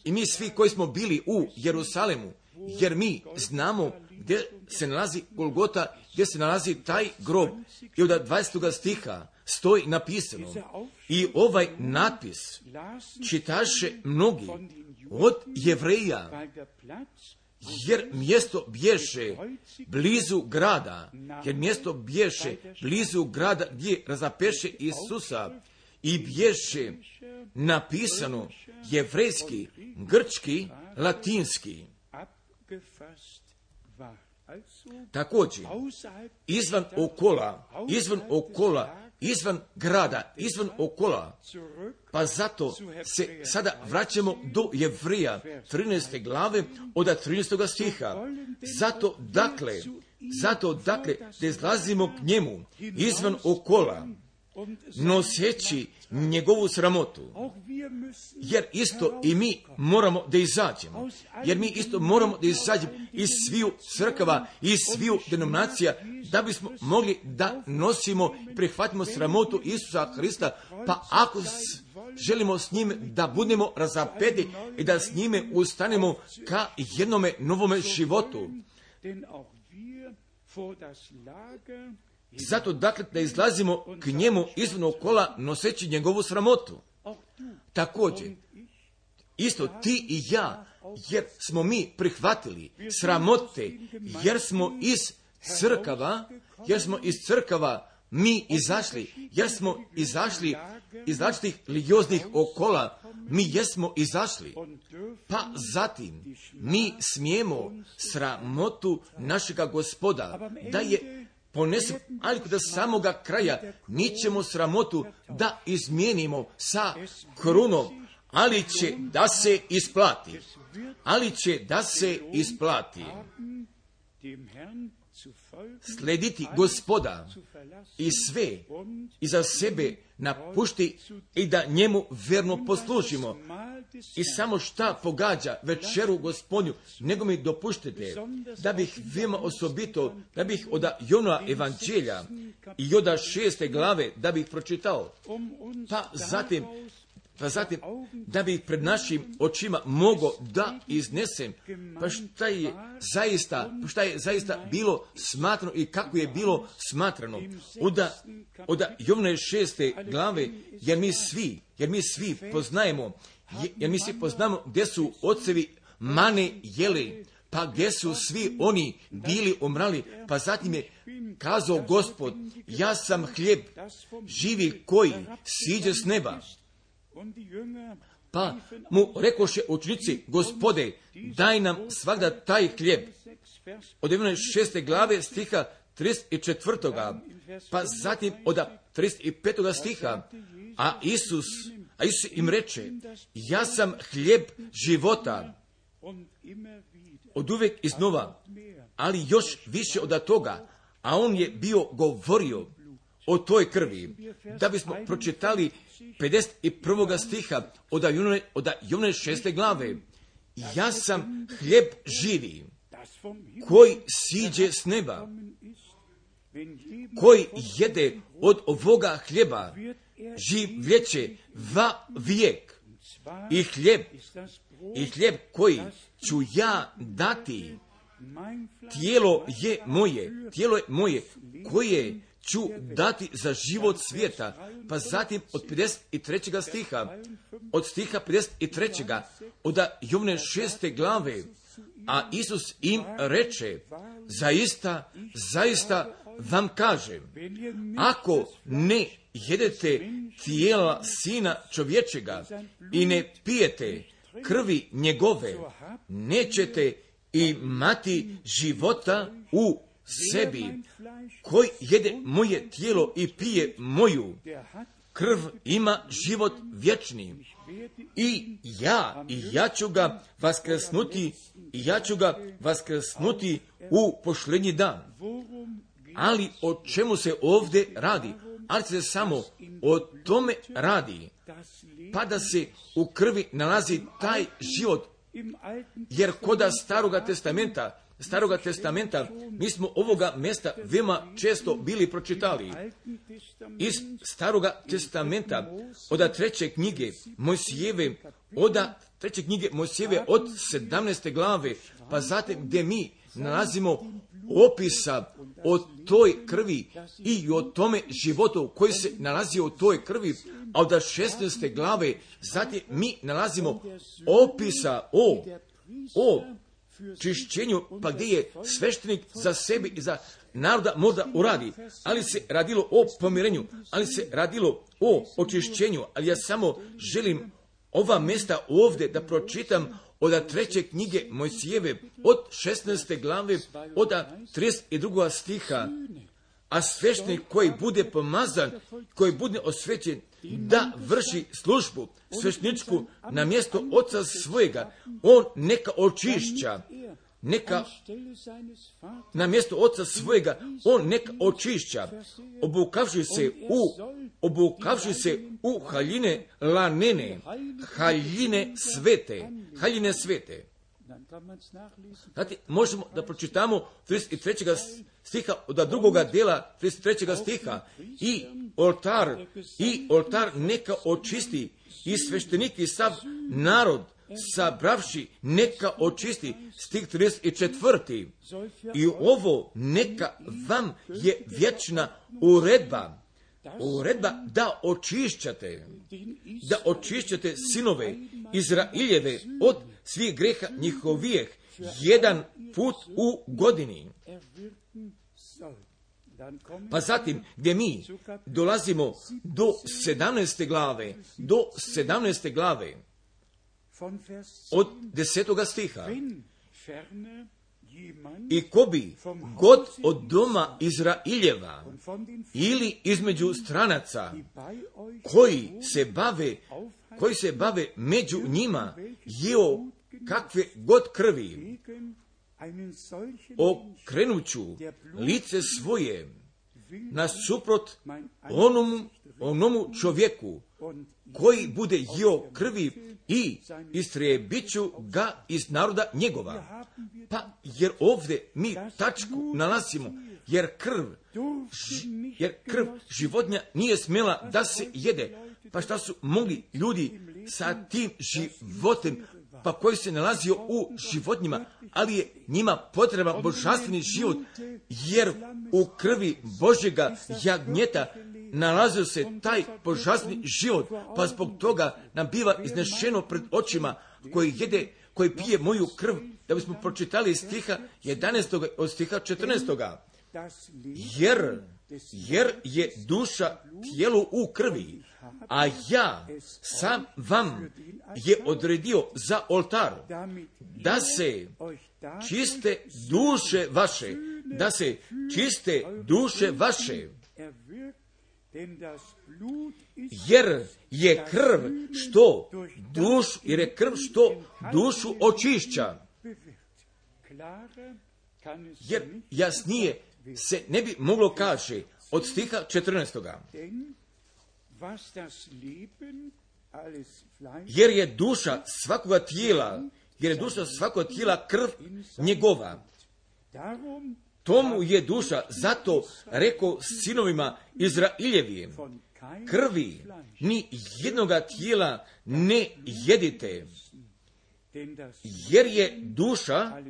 I mi svi koji smo bili u Jerusalemu, jer mi znamo gdje se nalazi Golgota, gdje se nalazi taj grob. I od 20. stiha stoji napisano. I ovaj natpis čitaše mnogi od Jevreja, jer mjesto bješe blizu grada, gdje razapeše Isusa, i bješe napisano jevrejski, grčki, latinski. Također, izvan grada, izvan okola, pa zato se sada vraćamo do Jevreja 13. glave od 13. stiha. Zato dakle, da izlazimo k njemu izvan okola, noseći njegovu sramotu, jer isto i mi moramo da izađemo, iz sviju crkava, iz sviju denominacija, da bismo mogli da nosimo i prihvatimo sramotu Isusa Hrista, pa ako želimo s njim da budemo razapeti i da s njime ustanemo ka jednome novome životu. Zato dakle da izlazimo k njemu izvan okola noseći njegovu sramotu. Također, isto ti i ja, jer smo mi prihvatili sramote, jer smo iz crkava mi izašli, jer smo izašli iz različitih religioznih okola, mi jesmo izašli, pa zatim mi smijemo sramotu našega Gospoda da je ponesem, ali do samoga kraja mi ćemo sramotu da izmijenimo sa krunom, ali će da se isplati. Slediti Gospoda i sve iza sebe napušti i da njemu verno poslužimo. I samo šta pogađa večeru Gospodnju, nego mi dopuštite da bih veoma osobito, da bih od Jovnova evanđelja i od 6. glave da bih pročitao, pa zatim da bih pred našim očima mogao da iznesem pa šta je zaista bilo smatrano i kako je bilo smatrano od Jovnove 6. glave, jer mi svi poznajemo gdje su ocevi mane jeli, pa gdje su svi oni bili umrali, pa zatim je kazao Gospod, ja sam hljeb živi koji siđe s neba. Pa mu rekoše učenici, Gospode, daj nam svagda taj hljeb. Od 6. glave stiha 34. pa zatim od 35. stiha, a Isus im reče, ja sam hljeb života. Od uvijek iznova, ali još više od toga, a on je bio govorio o toj krvi, da bismo pročitali 51. stiha od Jovnove 6. glave. Ja sam hljeb živi, koji siđe s neba. Koji jede od ovoga hljeba, življeće va vijek. I hljeb koji ću ja dati, tijelo je moje, koje ću dati za život svijeta. Pa zatim od 53. stiha, od stiha 53. od Jovne 6. glave, a Isus im reče, zaista vam kažem, ako ne jedete tijela Sina čovječega i ne pijete krvi njegove, nećete imati života u sebi. Koji jede moje tijelo i pije moju krv ima život vječni. I ja ću ga vaskrsnuti u posljednji dan. Ali o čemu se ovdje radi? Ali se samo o tome radi, pa da se u krvi nalazi taj život. Jer kod Staroga testamenta, mi smo ovoga mjesta veoma često bili pročitali. Iz Staroga testamenta, od 3. knjige Mojsijeve, od 17. glave, pa zatim gdje mi nalazimo opisa o toj krvi i o tome životu koji se nalazi u toj krvi, a od 16. glave zatim mi nalazimo opisa o čišćenju, pa gdje je sveštenik za sebe i za naroda možda uradi, ali se radilo o pomirenju, ali se radilo o očišćenju, ali ja samo želim ova mjesta ovdje da pročitam od 3. knjige Mojsijeve, od 16. glave, od 32. stiha, a sveštenik koji bude pomazan, koji bude osvećen da vrši službu svešteničku na mjesto oca svojega, on neka očišća, na mjesto oca svojega, on neka očišća, obukavši se u haljine lanene, haljine svete. Znate, možemo da pročitamo 33. stiha od drugoga dijela 33. stiha i oltar neka očisti i sveštenik i sav narod sabravši neka očisti, stih 34. I ovo neka vam je vječna uredba da očišćate sinove Izraeljeve od svih greha njihovijeh jedan put u godini. Pa zatim gdje mi dolazimo do 17. glave, od 10. stiha. I ko bi god od doma Izraeljeva ili između stranaca koji se bave među njima jeo kakve god krvi, okrenuću lice svoje nasuprot onomu čovjeku koji bude jeo krvi i istrijebit ću ga iz naroda njegova. Pa jer ovdje mi tačku nalazimo, jer krv životinja nije smjela da se jede. Pa šta su mogli ljudi sa tim životem, pa koji se nalazio u životinjima, ali je njima potreban božanstveni život, jer u krvi Božjega jagnjeta nalazio se taj božanstveni život, pa zbog toga nam biva iznešeno pred očima koji pije moju krv, da bismo pročitali stiha 11. od stiha 14. Jer je duša tijelu u krvi, a ja sam vam je odredio za oltar, da se čiste duše vaše, jer je krv što dušu očišća. Jer jasnije se ne bi moglo kaže od stiha 14. Jer je duša svakoga tijela krv njegova. Tomu je duša, zato rekao sinovima Izraeljevim, krvi ni jednoga tijela ne jedite, jer je duša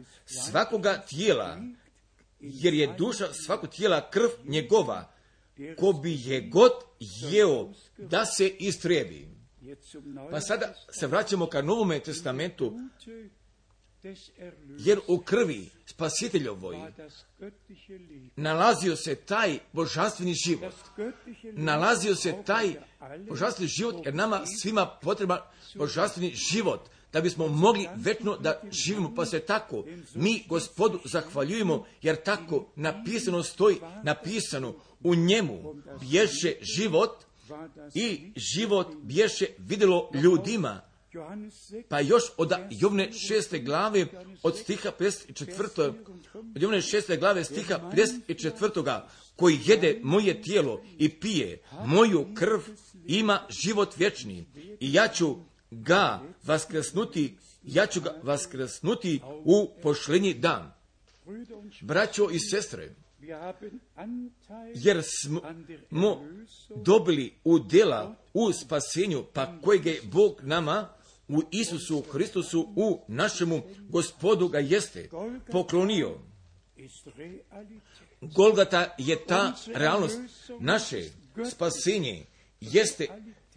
svakoga tijela krv njegova. ko bi je god jeo da se istrebi. Pa sada se vraćamo ka Novome testamentu, jer u krvi Spasiteljovoj nalazio se taj božanstveni život. Nalazio se taj božanstveni život, jer nama svima potreban božanstveni život, da bismo mogli večno da živimo. Pa se tako mi Gospodu zahvaljujemo, jer tako napisano stoji, napisano u njemu bješe život i život bješe vidjelo ljudima. Pa još od Jovne 6. glave od stiha 54. Od Jovne 6. glave stiha 54. koji jede moje tijelo i pije moju krv ima život vječni i ja ću ga vaskrsnuti u pošljenji dan. Braćo i sestre, jer smo dobili udjela u spasenju, pa kojeg je Bog nama u Isusu Hristusu, u našemu Gospodu ga jeste poklonio. Golgata je ta realnost, naše spasenje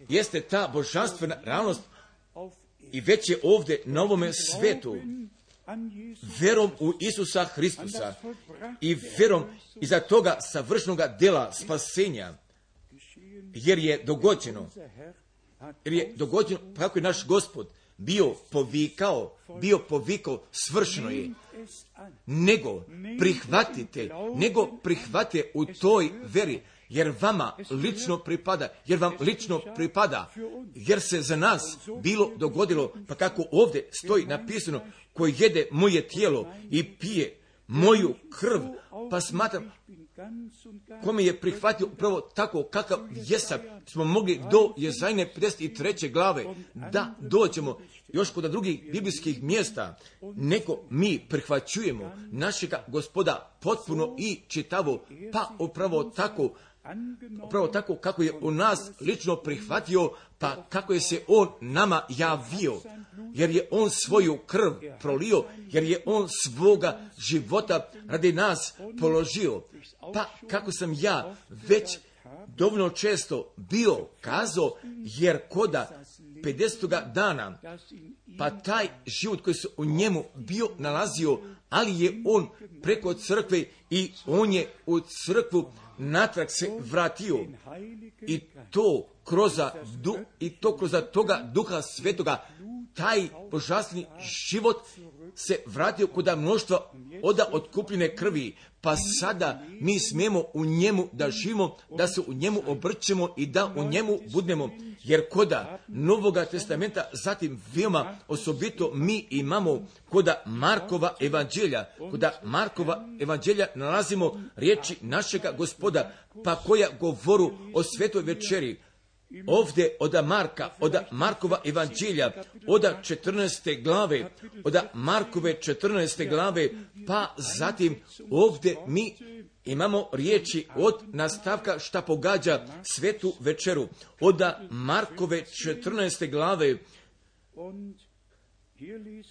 jeste ta božanstvena realnost i već je ovdje na ovome svetu. Verom u Isusa Hristusa i verom iza toga savršenoga dela spasenja, jer je dogođeno, kako je naš Gospod bio povikao, svršeno je, nego prihvatite u toj veri, jer vam lično pripada, jer se za nas bilo dogodilo, pa kako ovdje stoji napisano, koji jede moje tijelo i pije moju krv, pa smatram, kome je prihvatio upravo tako kakav jesam, smo mogli do Jezajne 53. glave da dođemo još kod drugih biblijskih mjesta, nego mi prihvaćujemo našega Gospoda potpuno i čitavo, pa upravo tako kako je u nas lično prihvatio, pa kako je se on nama javio, jer je on svoju krv prolio, jer je on svoga života radi nas položio. Pa kako sam ja već dovoljno često bio kazao, jer koda 50. dana, pa taj život koji se u njemu bio nalazio, ali je on preko crkve i on je u crkvu natrag se vratio i to kroz toga Duha Svetoga, taj božanstveni život se vratio kod mnoštva od otkupljene krvi, pa sada mi smijemo u njemu da živimo, da se u njemu obrćemo i da u njemu budemo, jer koda Novoga testamenta, zatim veoma osobito mi imamo koda Markova evanđelja nalazimo riječi našega Gospoda, pa koja govoru o svetoj večeri. Ovdje od Markova evanđelja, od 14. glave, od Markove 14. glave, pa zatim ovdje mi imamo riječi od nastavka šta pogađa svetu večeru, od Markove 14. glave,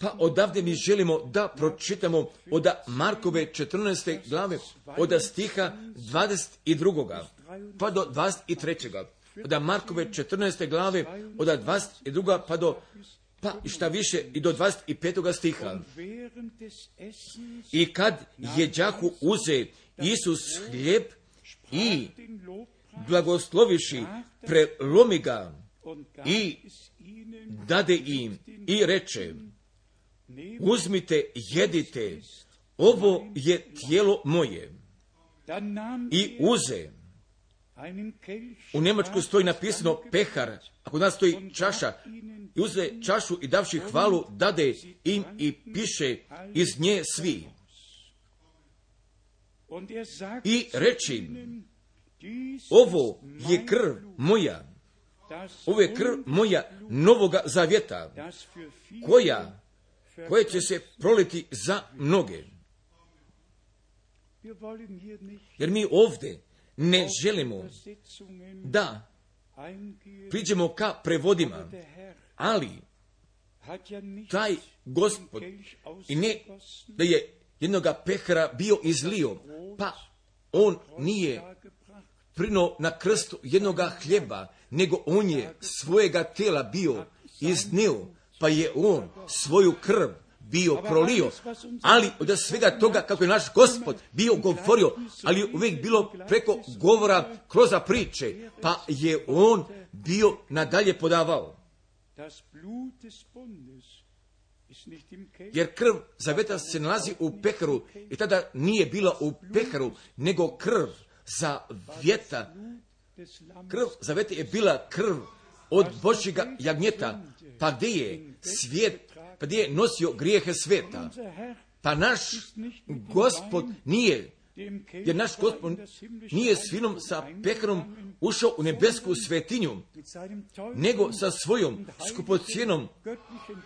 pa odavde mi želimo da pročitamo od Markove 14. glave, od stiha 22. pa do 23. Od Markove 14. glave, od 22. pa šta više i do 25. stiha. I kad jeđahu uze Isus hljeb i blagosloviši, prelomi ga i dade im i reče, uzmite, jedite, ovo je tijelo moje. I uze. U Njemačkoj stoji napisano pehar, a kod nas stoji čaša. I uze čašu i davši hvalu, dade im i piše iz nje svi. I reči, ovo je krv moja, ovo je krv moja novoga zavjeta, koja će se proliti za mnoge. Jer mi ovdje ne želimo da priđemo ka prevodima, ali taj Gospod i ne da je jednoga pehara bio izlio, pa on nije prinuo na krstu jednoga hljeba, nego on je svojega tela bio iznio, pa je on svoju krv bio prolio, ali od svega toga kako je naš Gospod bio govorio, ali je uvijek bilo preko govora kroz priče, pa je on bio nadalje podavao. Jer krv zaveta se nalazi u peharu i tada nije bila u peharu, nego krv zaveta. Krv zaveta je bila krv od Božjega jagnjeta, pa gdje je svijet, pa gdje je nosio grijehe sveta. Pa naš Gospod nije, jer naš Gospod nije s vinom sa peharom ušao u nebesku svetinju, nego sa svojom skupocijenom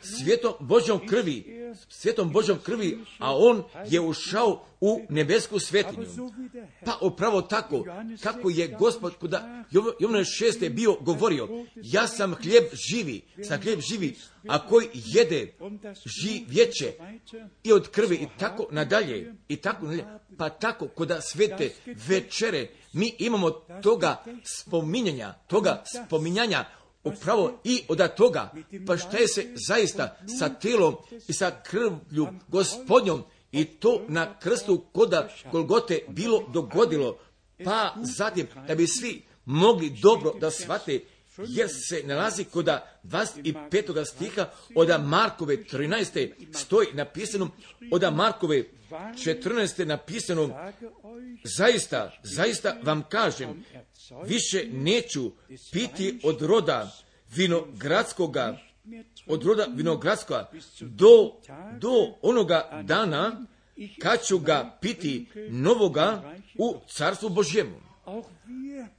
svetom Božjom krvi, a on je ušao u nebesku svetinju. Pa upravo tako, kako je Gospod kod Jovana 6. bio govorio, ja sam hljeb živi, a koji jede živjeće i od krvi i tako nadalje, pa tako kod svete večere mi imamo toga spominjanja upravo i od toga, pa šta je se zaista sa telom i sa krvlju Gospodnjom i to na krstu koda Golgote bilo dogodilo, pa zatim da bi svi mogli dobro da shvate, jer se nalazi kod 25. stiha od Markove 13. stoji napisano, od Markove 14. napisano, zaista vam kažem, više neću piti od roda vinogradskoga do onoga dana kad ću ga piti novoga u carstvu Božjemu.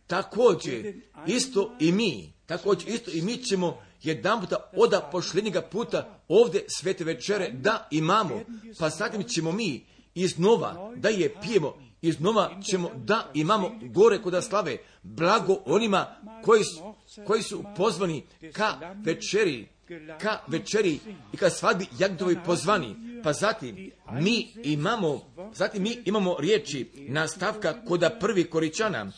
Također isto i mi ćemo jedan puta od posljednjega puta ovdje svete večere da imamo, pa zatim ćemo mi iznova da je pijemo, iznova ćemo da imamo gore kod slave, blago onima koji su pozvani ka večeri i ka svadbi jagnjetovi pozvani. Pa zatim mi imamo riječi nastavka kod prvi Koričana,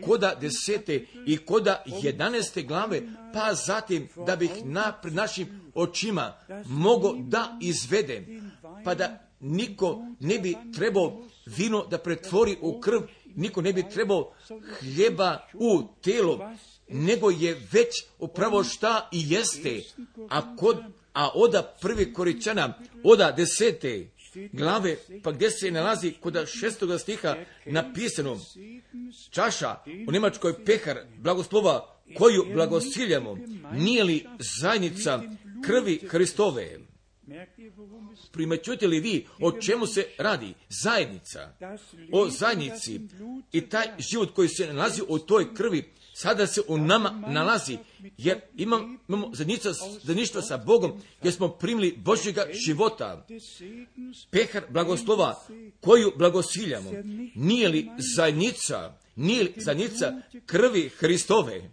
kod 10. i kod 11. glave, pa zatim da bih pred našim očima mogao da izvedem, pa da niko ne bi trebao vino da pretvori u krv, niko ne bi trebao hljeba u telo, nego je već upravo šta i jeste. A od prvi Koričana, od 10. glave, pa gdje se nalazi kod 6. stiha napisano, čaša u njemačkoj pehar blagoslova koju blagosiljamo, nije li zajednica krvi Hristove? Primećujete li vi o čemu se radi? Zajednica. O zajednici. I taj život koji se nalazi u toj krvi sada se u nama nalazi, jer imamo zajedništvo sa Bogom, jer smo primili Božjega života. Pehar blagoslova koju blagosiljamo, nije li zajednica krvi Hristove?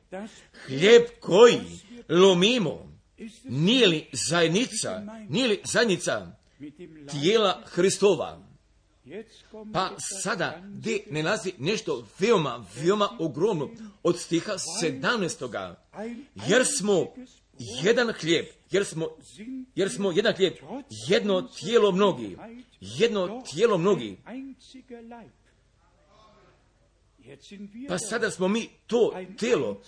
Hljeb koji lomimo, nije li zajednica tijela Hristova? Pa sada gdje ne nalazi nešto veoma ogromno od stiha 17. Jer smo jedan hljeb, jedno tijelo mnogi. Pa sada smo mi to tijelo,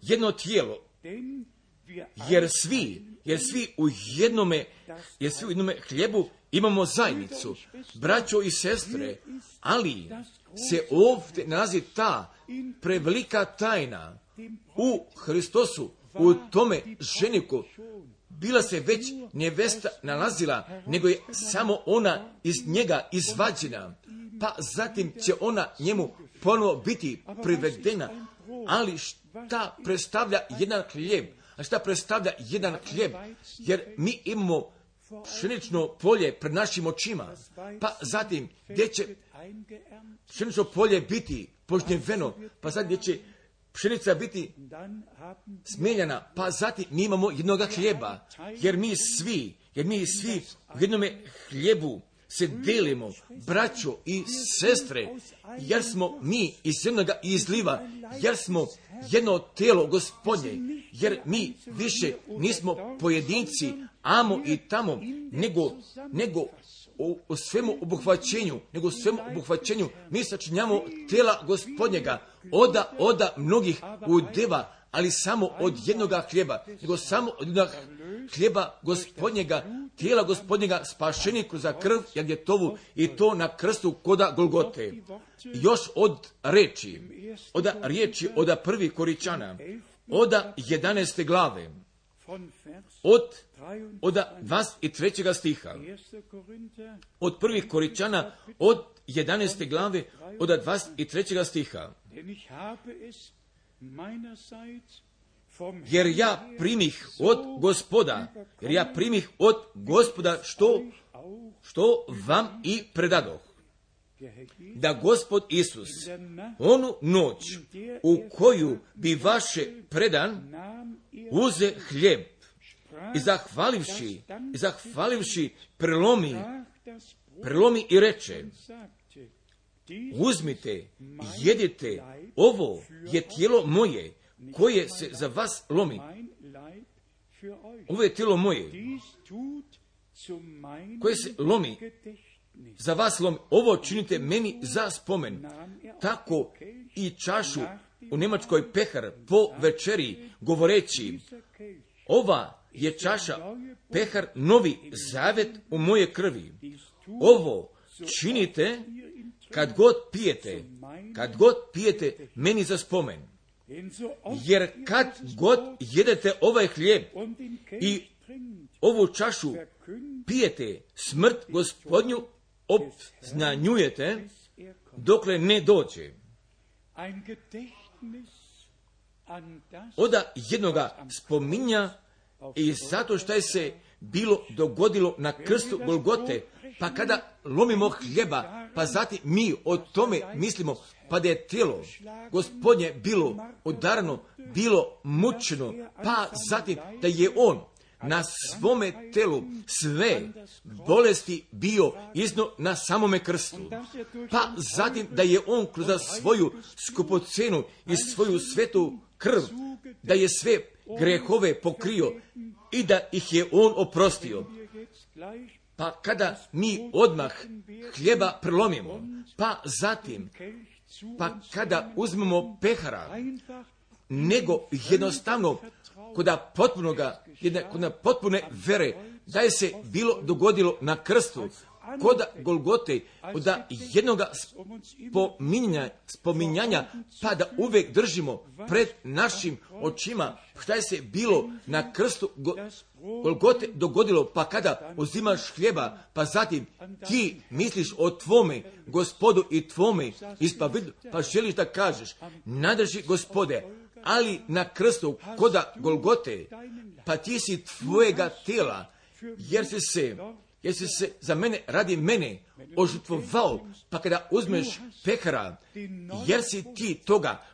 jedno tijelo, jer svi u jednome hljebu imamo zajednicu, braćo i sestre, ali se ovdje nalazi ta prevelika tajna u Hristosu, u tome ženiku. Bila se već nevesta nalazila, nego je samo ona iz njega izvađena, pa zatim će ona njemu ponovo biti privedena. Ali šta predstavlja jedan hljeb? A šta predstavlja jedan hljeb? Jer mi imamo pšenično polje pred našim očima. Pa zatim, gdje će pšenično polje biti požnjeveno, pa zatim gdje će pšenica biti smijeljena, pa zatim mi imamo jednoga hljeba, jer mi svi u jednome hljebu se delimo, braćo i sestre, jer smo mi iz jednoga izliva, jer smo jedno telo Gospodnje, jer mi više nismo pojedinci, amo i tamo, nego u svemu obuhvaćenju, mi sačinjamo tela Gospodnjega, oda mnogih udeva, ali samo od jednoga hljeba, nego samo od jednoga hljeba Gospodnjega, tijela Gospodnjega, spašeni kroz krv Jagljetovu i to na krstu koda Golgote. Još od riječi od 1. Koričana, od 11. glave, od 23. stiha, od 1. Koričana, od 11. glave, od 23. stiha. Jer ja primih od Gospoda što vam i predadoh, da Gospod Isus onu noć u koju bi vaše predan uze hljeb i zahvalivši prelomi i reče: uzmite, jedite, ovo je tijelo moje koje se za vas lomi. Ovo je tijelo moje koje se lomi, za vas lomi. Ovo činite meni za spomen. Tako i čašu u Njemačkoj pehar po večeri, govoreći: ova je čaša pehar novi zavet u moje krvi. Ovo činite kad god pijete meni za spomen. Jer kad god jedete ovaj hljeb i ovu čašu pijete, smrt Gospodnju obznanjujete dokle ne dođe. Oda jednoga spominja i zato što je se bilo dogodilo na krstu Golgote, pa kada lomimo hljeba, pa zatim mi o tome mislimo, pa da je tijelo Gospodnje bilo udarano, bilo mučeno, pa zatim da je on na svome telu sve bolesti bio iznio na samome krstu, pa zatim da je on kroz svoju skupocenu i svoju svetu krv, da je sve grehove pokrio i da ih je on oprostio. Pa kada mi odmah hljeba prelomimo, pa zatim, pa kada uzmemo pehara, nego jednostavno kod potpune vere, da je se bilo dogodilo na krstu, kod Golgote, od jednoga spominjanja, pa da uvijek držimo pred našim očima šta je se bilo na krstu Golgote dogodilo, pa kada uzimaš hljeba, pa zatim ti misliš o tvome Gospodu i tvome ispovjedu, pa želiš da kažeš: nadrži Gospode, ali na krstu koda Golgote, pa ti si tvojega tela, jer si se za mene, radi mene, ožrtvovao, pa kada uzmeš pehara, jer si ti toga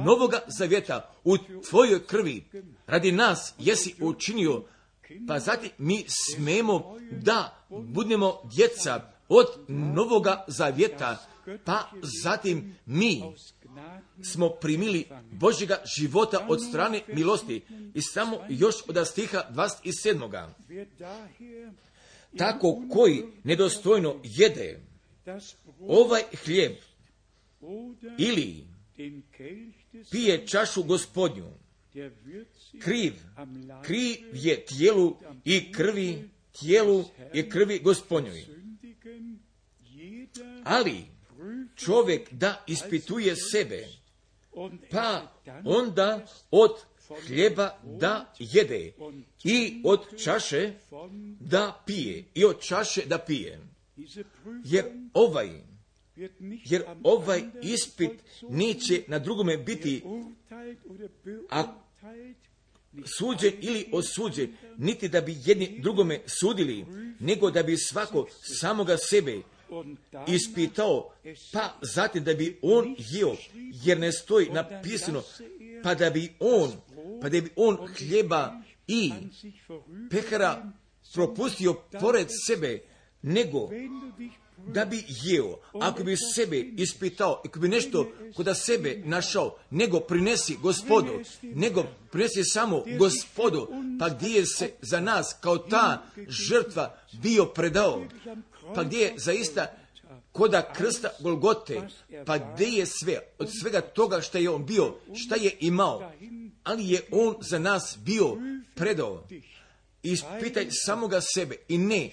novoga zavjeta u tvojoj krvi, radi nas jesi učinio, pa zatim mi smemo da budemo djeca od novoga zavjeta, pa zatim mi smo primili Božjega života od strane milosti. I samo još od stiha 27. Tako koji nedostojno jede ovaj hljeb ili pije čašu Gospodnju, kriv je tijelu i krvi Gospodnjoj. Ali čovjek da ispituje sebe, pa onda od hljeba da jede i od čaše da pije. Jer ovaj ispit neće na drugome biti suđen ili osuđen, niti da bi jedni drugome sudili, nego da bi svako samoga sebe ispitao, pa zatim da bi on jeo, jer ne stoji napisano, pa da bi on hljeba i pehara propustio pored sebe, nego da bi jeo. Ako bi sebe ispitao, ako bi nešto kod sebe našao, nego prinesi Gospodu, nego prinesi samo Gospodu, pa gdje je se za nas kao ta žrtva bio predao, pa gdje je zaista koda krsta Golgote, pa gdje je sve, od svega toga što je on bio, šta je imao, ali je on za nas bio predao. Ispitaj samoga sebe i ne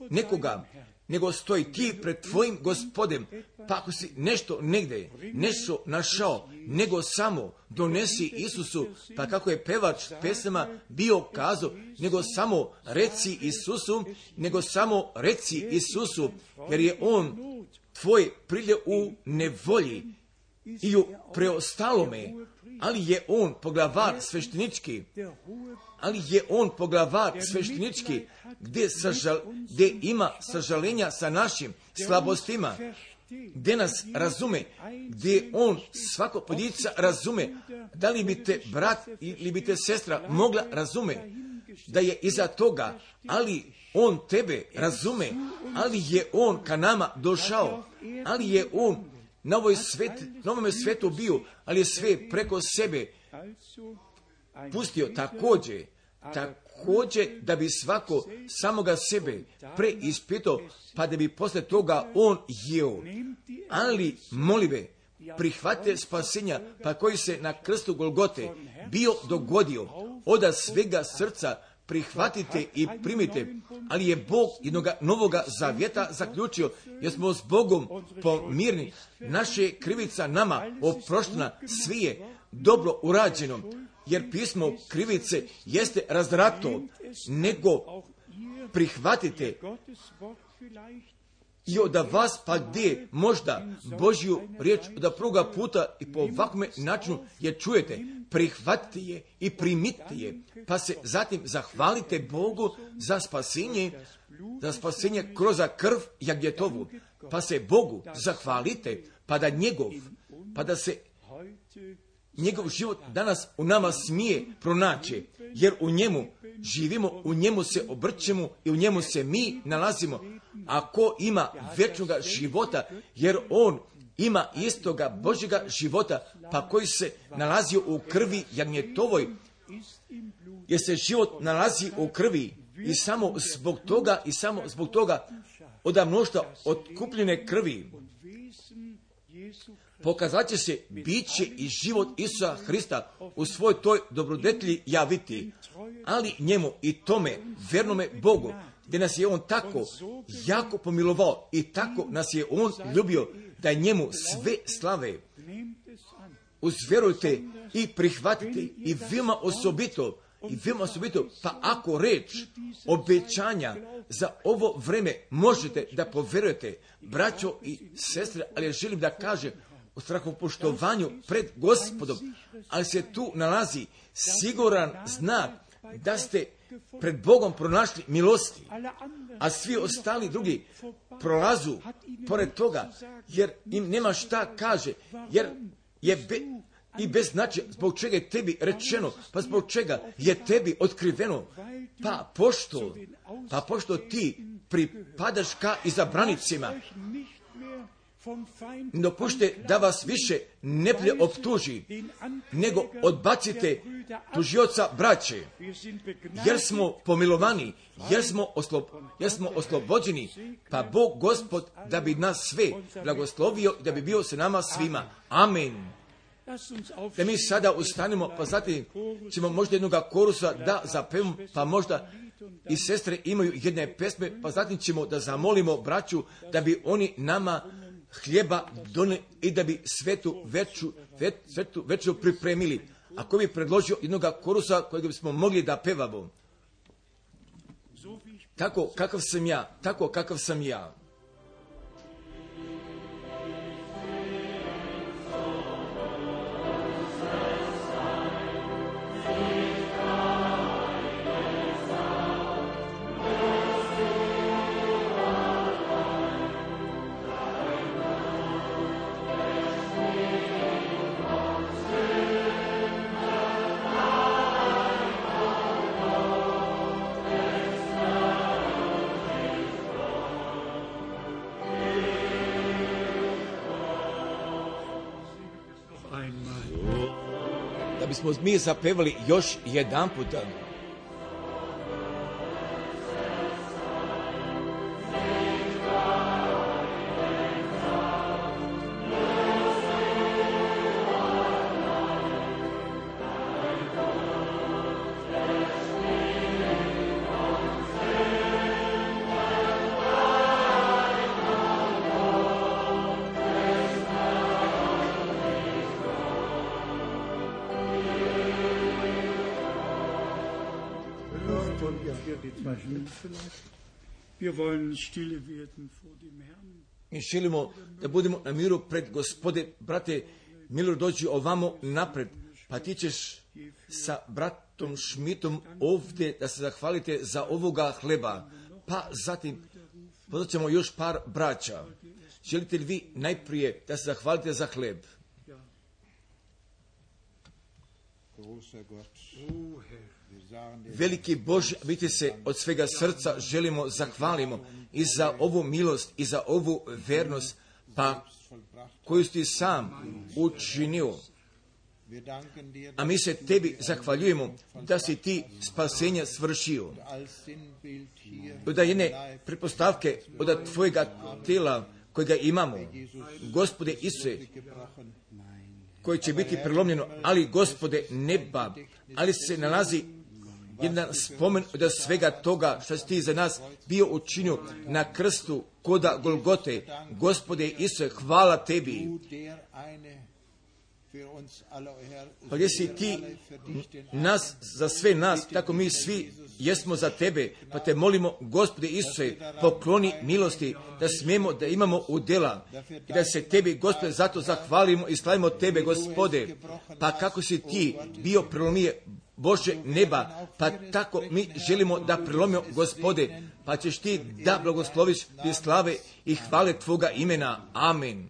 nekoga, nego stoji ti pred tvojim Gospodem, pa ako si nešto negdje, nešto našao, nego samo donesi Isusu, pa kako je pevač pesama bio kazao, nego samo reci Isusu, nego samo reci Isusu, jer je on tvoj prilje u nevolji i u preostalome, ali je on poglavar sveštenički, gdje ima sažalenja sa našim slabostima, gdje nas razume, gdje on svako pojedinca razume. Da li bi te brat ili bi te sestra mogla razume da je iza toga, ali on tebe razume, ali je on ka nama došao, ali je on na ovome svetu bio, ali je sve preko sebe pustio također da bi svako samoga sebe preispitao, pa da bi posle toga on jeo. Ali molive, prihvate spasenja, pa koji se na krstu Golgote bio dogodio, od svega srca prihvatite i primite, ali je Bog jednog novoga zavjeta zaključio, jer smo s Bogom pomirni, naše krivica nama oproštena, sve je dobro urađeno, jer pismo krivice jeste razdrato, nego prihvatite i od vas pa gdje možda Božju riječ od prvoga puta i po ovakvom načinu je čujete, prihvatite je i primite je, pa se zatim zahvalite Bogu za spasenje kroz krv Jagljetovu, pa se Bogu zahvalite, pa da se njegov život danas u nama smije pronaći, jer u njemu živimo, u njemu se obrćemo i u njemu se mi nalazimo. Ako ima vječnoga života, jer on ima istoga Božjega života, pa koji se nalazio u krvi Jagnjetovoj, jer se život nalazi u krvi i samo zbog toga od mnoštva otkupljene krvi pokazat će se biće i život Isusa Hrista u svoj toj dobrodetlji javiti, ali njemu i tome vernome Bogu, gdje nas je on tako jako pomilovao i tako nas je on ljubio, da je njemu sve slave. Uzverujte i prihvatite i veoma osobito, pa ako reč obećanja za ovo vreme možete da poverujete, braćo i sestre, ali ja želim da kažem u strahopoštovanju pred Gospodom, ali se tu nalazi siguran znak da ste pred Bogom pronašli milosti, a svi ostali drugi prolazu pored toga, jer im nema šta kaže, jer je i bez značaja zbog čega je tebi rečeno, pa zbog čega je tebi otkriveno, pa pošto ti pripadaš ka izabranicima, no pušte da vas više neplje optuži, nego odbacite tužioca braće, jer smo pomilovani, jer smo oslobođeni, pa Bog Gospod da bi nas sve blagoslovio i da bi bio sa nama svima. Amen. Da mi sada ustanemo, pa zatim ćemo možda jednog korusa da zapevamo, pa možda i sestre imaju jedne pesme, pa zatim ćemo da zamolimo braću da bi oni nama hljeba donijeli i da bi svetu večeru pripremili. Ako bi predložio jednog korusa kojeg bismo mogli da pevamo. Tako kakav sam ja. kad bismo mi zapevali još jedan puta. Mi želimo da budemo na miru pred Gospode. Brate Milor, dođi ovamo napred, pa ti ćeš sa bratom Šmitom ovdje da se zahvalite za ovoga hleba. Pa zatim pozvat ćemo još par braća. Želite li vi najprije da se zahvalite za hleb? Veliki Bože, vidite se, od svega srca želimo, zahvalimo i za ovu milost i za ovu vernost, pa koju si sam učinio. A mi se tebi zahvaljujemo da si ti spasenja svršio. Od jedne pretpostavke, od tvojega tela kojega imamo, Gospode Isuse, koji će biti prelomljeno, ali Gospode neba, ali se nalazi jedan spomen od svega toga što si ti za nas bio učinio na krstu koda Golgote. Gospode Isuse, hvala tebi. Pa gdje si ti nas, za sve nas, tako mi svi jesmo za tebe, pa te molimo, Gospode Isuse, pokloni milosti, da smijemo da imamo udjela i da se tebi, Gospode, zato zahvalimo i slavimo tebe, Gospode, pa kako si ti bio prelomije Bože neba, pa tako mi želimo da prelomimo, Gospode, pa ćeš ti da blagosloviš ti slave i hvale tvoga imena. Amen.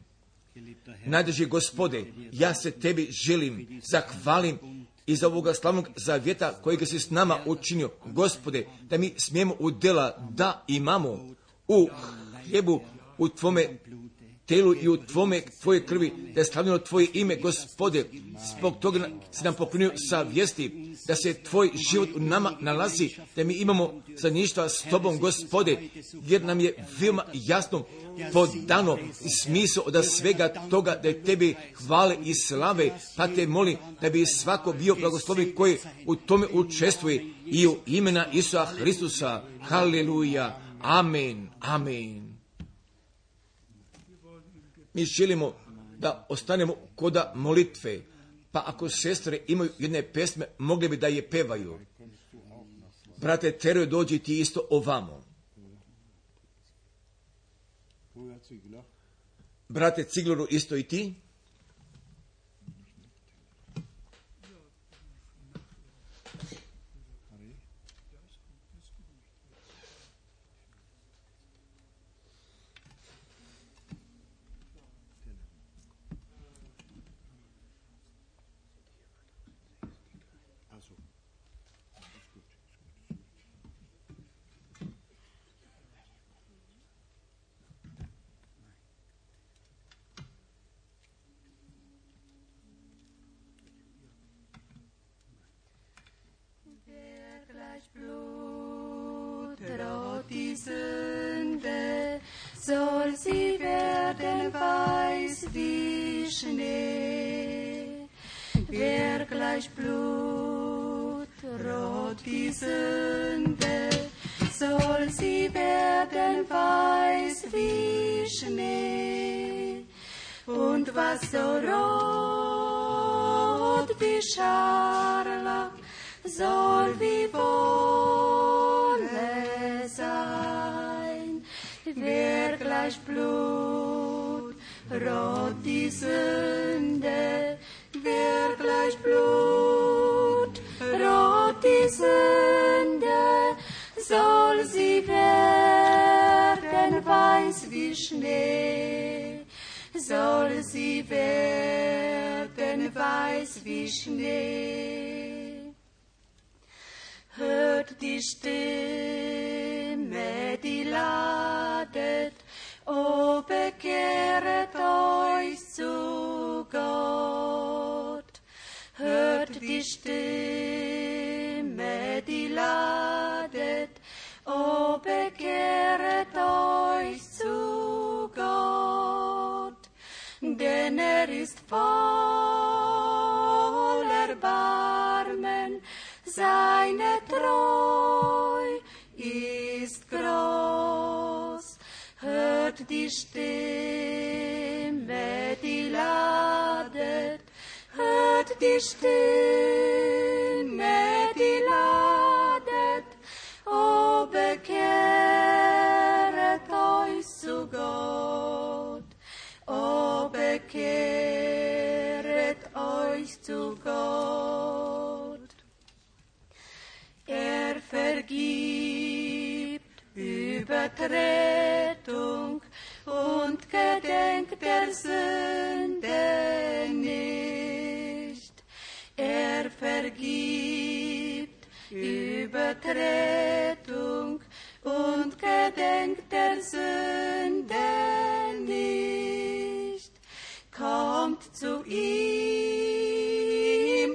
Najdrži Gospode, ja se tebi želim, zahvalim i za ovoga slavnog zavjeta kojega si s nama učinio, Gospode, da mi smijemo udjela da imamo u hljebu, u tvome telu i u tvoje krvi, da je slavljeno tvoje ime, Gospode. Zbog toga si nam poklonio savjesti, da se tvoj život u nama nalazi, da mi imamo zajedništva s tobom, Gospode, jer nam je veoma jasno podano i smisao od svega toga da je tebi hvale i slave, pa te molim da bi svako bio blagosloven koji u tome učestvuje i u imena Isusa Hristusa. Haleluja. Amen. Amen. Mi želimo da ostanemo koda molitve, pa ako sestre imaju jedne pesme, mogli bi da je pevaju. Brate Teroje, dođi ti isto ovamo. Brate Cigloru, isto i ti. Soll sie werden weiß wie Schnee, wer gleich Blut rot die Sünde, soll sie werden weiß wie Schnee, und was so rot wie Scharlach, soll wie Wolle sein. Wer gleich Blut rot die Sünde, wer gleich Blut rot die Sünde, soll sie werden weiß wie Schnee, soll sie werden weiß wie Schnee. Hört die Stimme, die ladet, o bekehret euch zu Gott. Hört die denn ist voll Erbarmen, seine Treu ist groß. Hört die Stimme, die ladet, hört die Stimme, die ladet, o bekehret euch zu Gott, o bekehret euch zu Gott. Er vergibt Übertretung und gedenkt der Sünde nicht. Er vergibt Übertretung und gedenkt der Sünde nicht. Kommt zu ihm,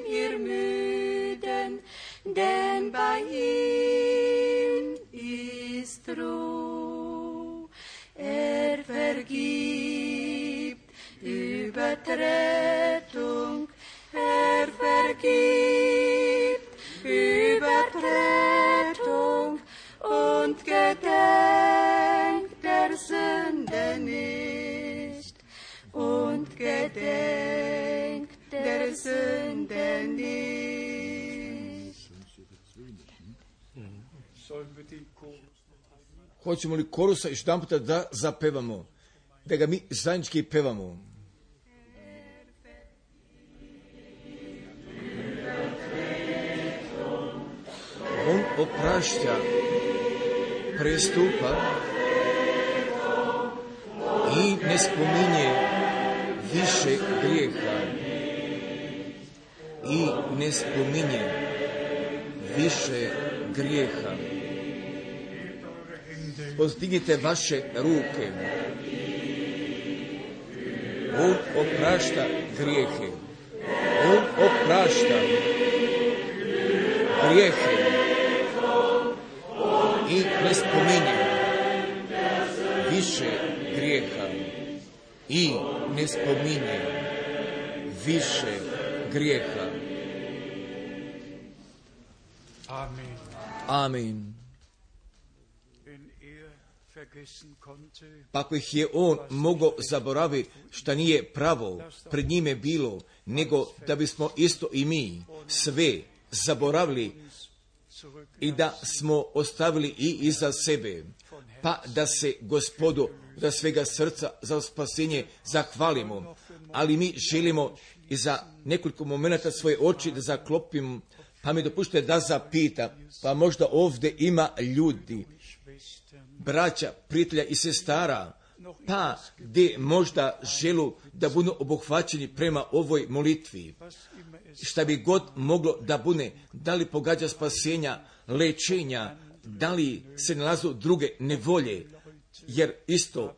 ihr Müden, denn bei ihm ist Ruhe. Er vergibt Übertretung, er vergibt Übertretung und gedenkt der Sünde nicht. Und gedenkt der Sünde nicht. Hoćemo li korusa još jedan puta da zapevamo, da ga mi zajednički pevamo? On oprašta prestupa i ne spominje više grijeha. I ne spominje više grijeha. Pozdignite vaše ruke. On oprašta grijehe. On oprašta grijehe. I ne spominje više grijeha. I ne spominje više grijeha. Amen. Amen. Pa ako ih je on mogao zaboraviti šta nije pravo pred njime bilo, nego da bismo isto i mi sve zaboravili i da smo ostavili i iza sebe, pa da se Gospodu da svega srca za spasenje zahvalimo, ali mi želimo i za nekoliko momenata svoje oči da zaklopimo, pa mi dopušte da zapita, pa možda ovdje ima ljudi, braća, prijatelja i sestara, pa gdje možda želu da budu obuhvaćeni prema ovoj molitvi. Šta bi god moglo da bude, da li pogađa spasenja, lečenja, da li se nalazu druge nevolje, jer isto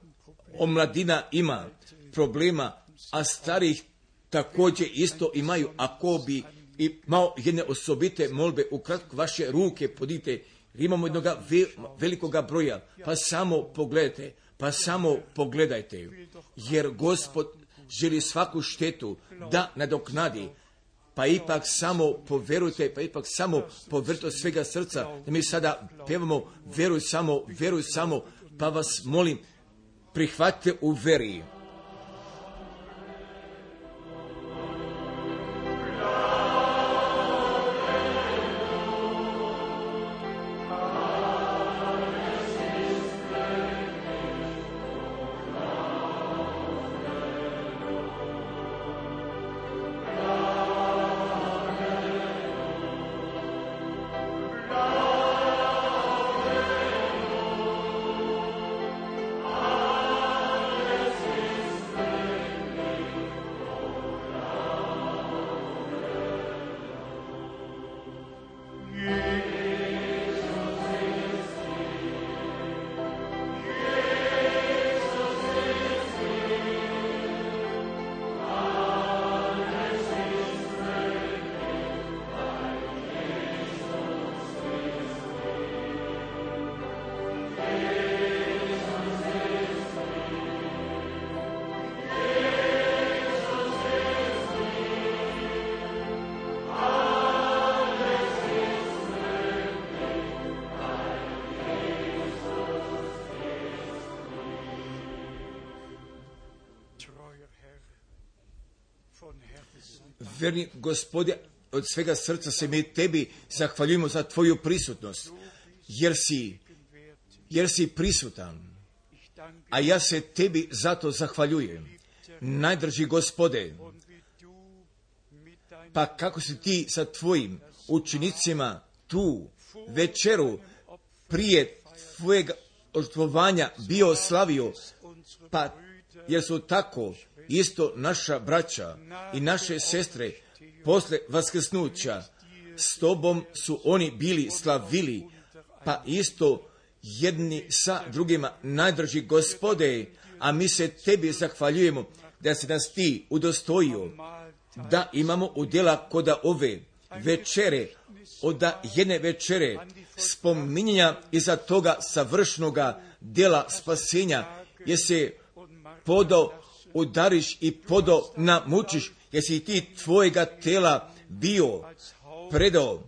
omladina ima problema, a starih također isto imaju. Ako bi imao jedne osobite molbe, ukratko vaše ruke podite, imamo jednog velikoga broja, pa samo pogledajte, pa samo pogledajte, jer Gospod želi svaku štetu da nadoknadi, pa ipak samo poverujte, pa ipak samo poverujte od svega srca, da mi sada pevamo veruj samo, pa vas molim, prihvatite u veri. Verni Gospode, od svega srca se mi tebi zahvaljujemo za tvoju prisutnost, jer si prisutan, a ja se tebi zato zahvaljujem. Najdraži Gospode, pa kako si ti sa tvojim učenicima tu večeru prije tvojeg ožrtvovanja bio slavio, pa jer su tako isto naša braća i naše sestre posle vaskrsnuća s tobom su oni bili slavili, pa isto jedni sa drugima. Najdraži Gospode, a mi se tebi zahvaljujemo da si nas ti udostojio da imamo udjela kod ove večere, od jedne večere spominjanja iza toga savršnoga djela spasenja, jer se podo udariš i podo namučiš, jer si ti tvojega tela bio predao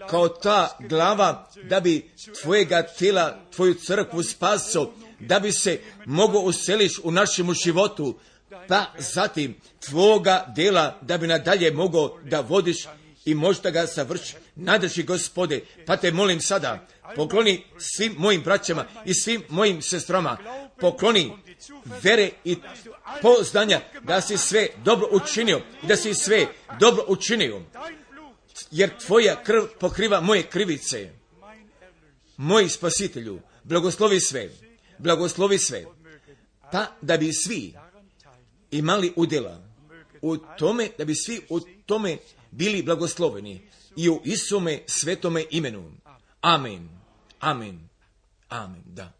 kao ta glava, da bi tvojega tela, tvoju crkvu spasao, da bi se mogao useliš u našemu životu, pa zatim tvoga dela da bi nadalje mogao da vodiš i možda ga savrši. Najdraži Gospode, pa te molim sada, pokloni svim mojim braćama i svim mojim sestrama, pokloni vere i poznanja da si sve dobro učinio, da si sve dobro učinio, jer tvoja krv pokriva moje krivice. Moj Spasitelju, blagoslovi sve, pa da bi svi imali udjela u tome, da bi svi u tome bili blagosloveni i u Isome svetome imenu. Amen, amen, amen, da.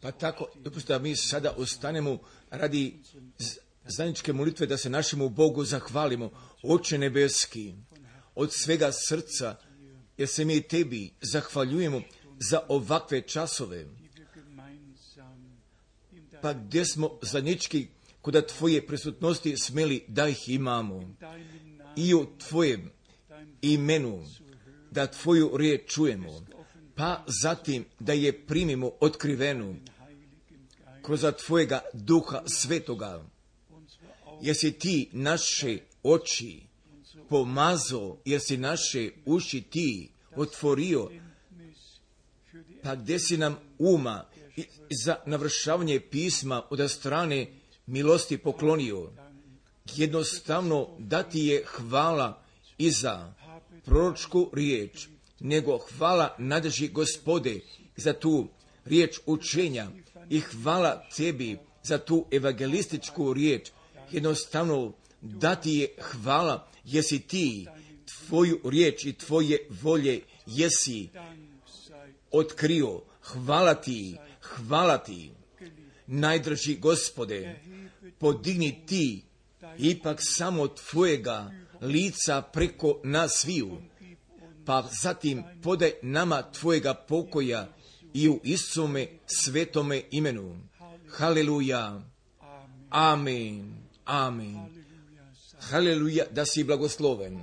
Pa tako, dopustite da mi sada ostanemo radi zajedničke molitve, da se našemu Bogu zahvalimo. Oče nebeski, od svega srca, jer se mi tebi zahvaljujemo za ovakve časove, pa gdje smo zajednički kod tvoje prisutnosti smeli da ih imamo i u tvojem imenu, da tvoju riječ čujemo, pa zatim da je primimo otkrivenu kroz tvojega Duha Svetoga, jer si ti naše oči pomazao, jer si naše uši ti otvorio, pa gdje si nam uma za navršavanje pisma od strane milosti poklonio, jednostavno da ti je hvala i za proročku riječ, nego hvala najdraži Gospode za tu riječ učenja i hvala tebi za tu evangelističku riječ. Jednostavno da ti je hvala, jesi ti tvoju riječ i tvoje volje jesi otkrio. Hvala ti. Najdraži Gospode, podigni ti ipak samo tvojega lica preko nas sviju, pa zatim podaj nama tvojega pokoja i u Isusove svetome imenu. Haleluja. Amen. Haleluja, da si blagosloven.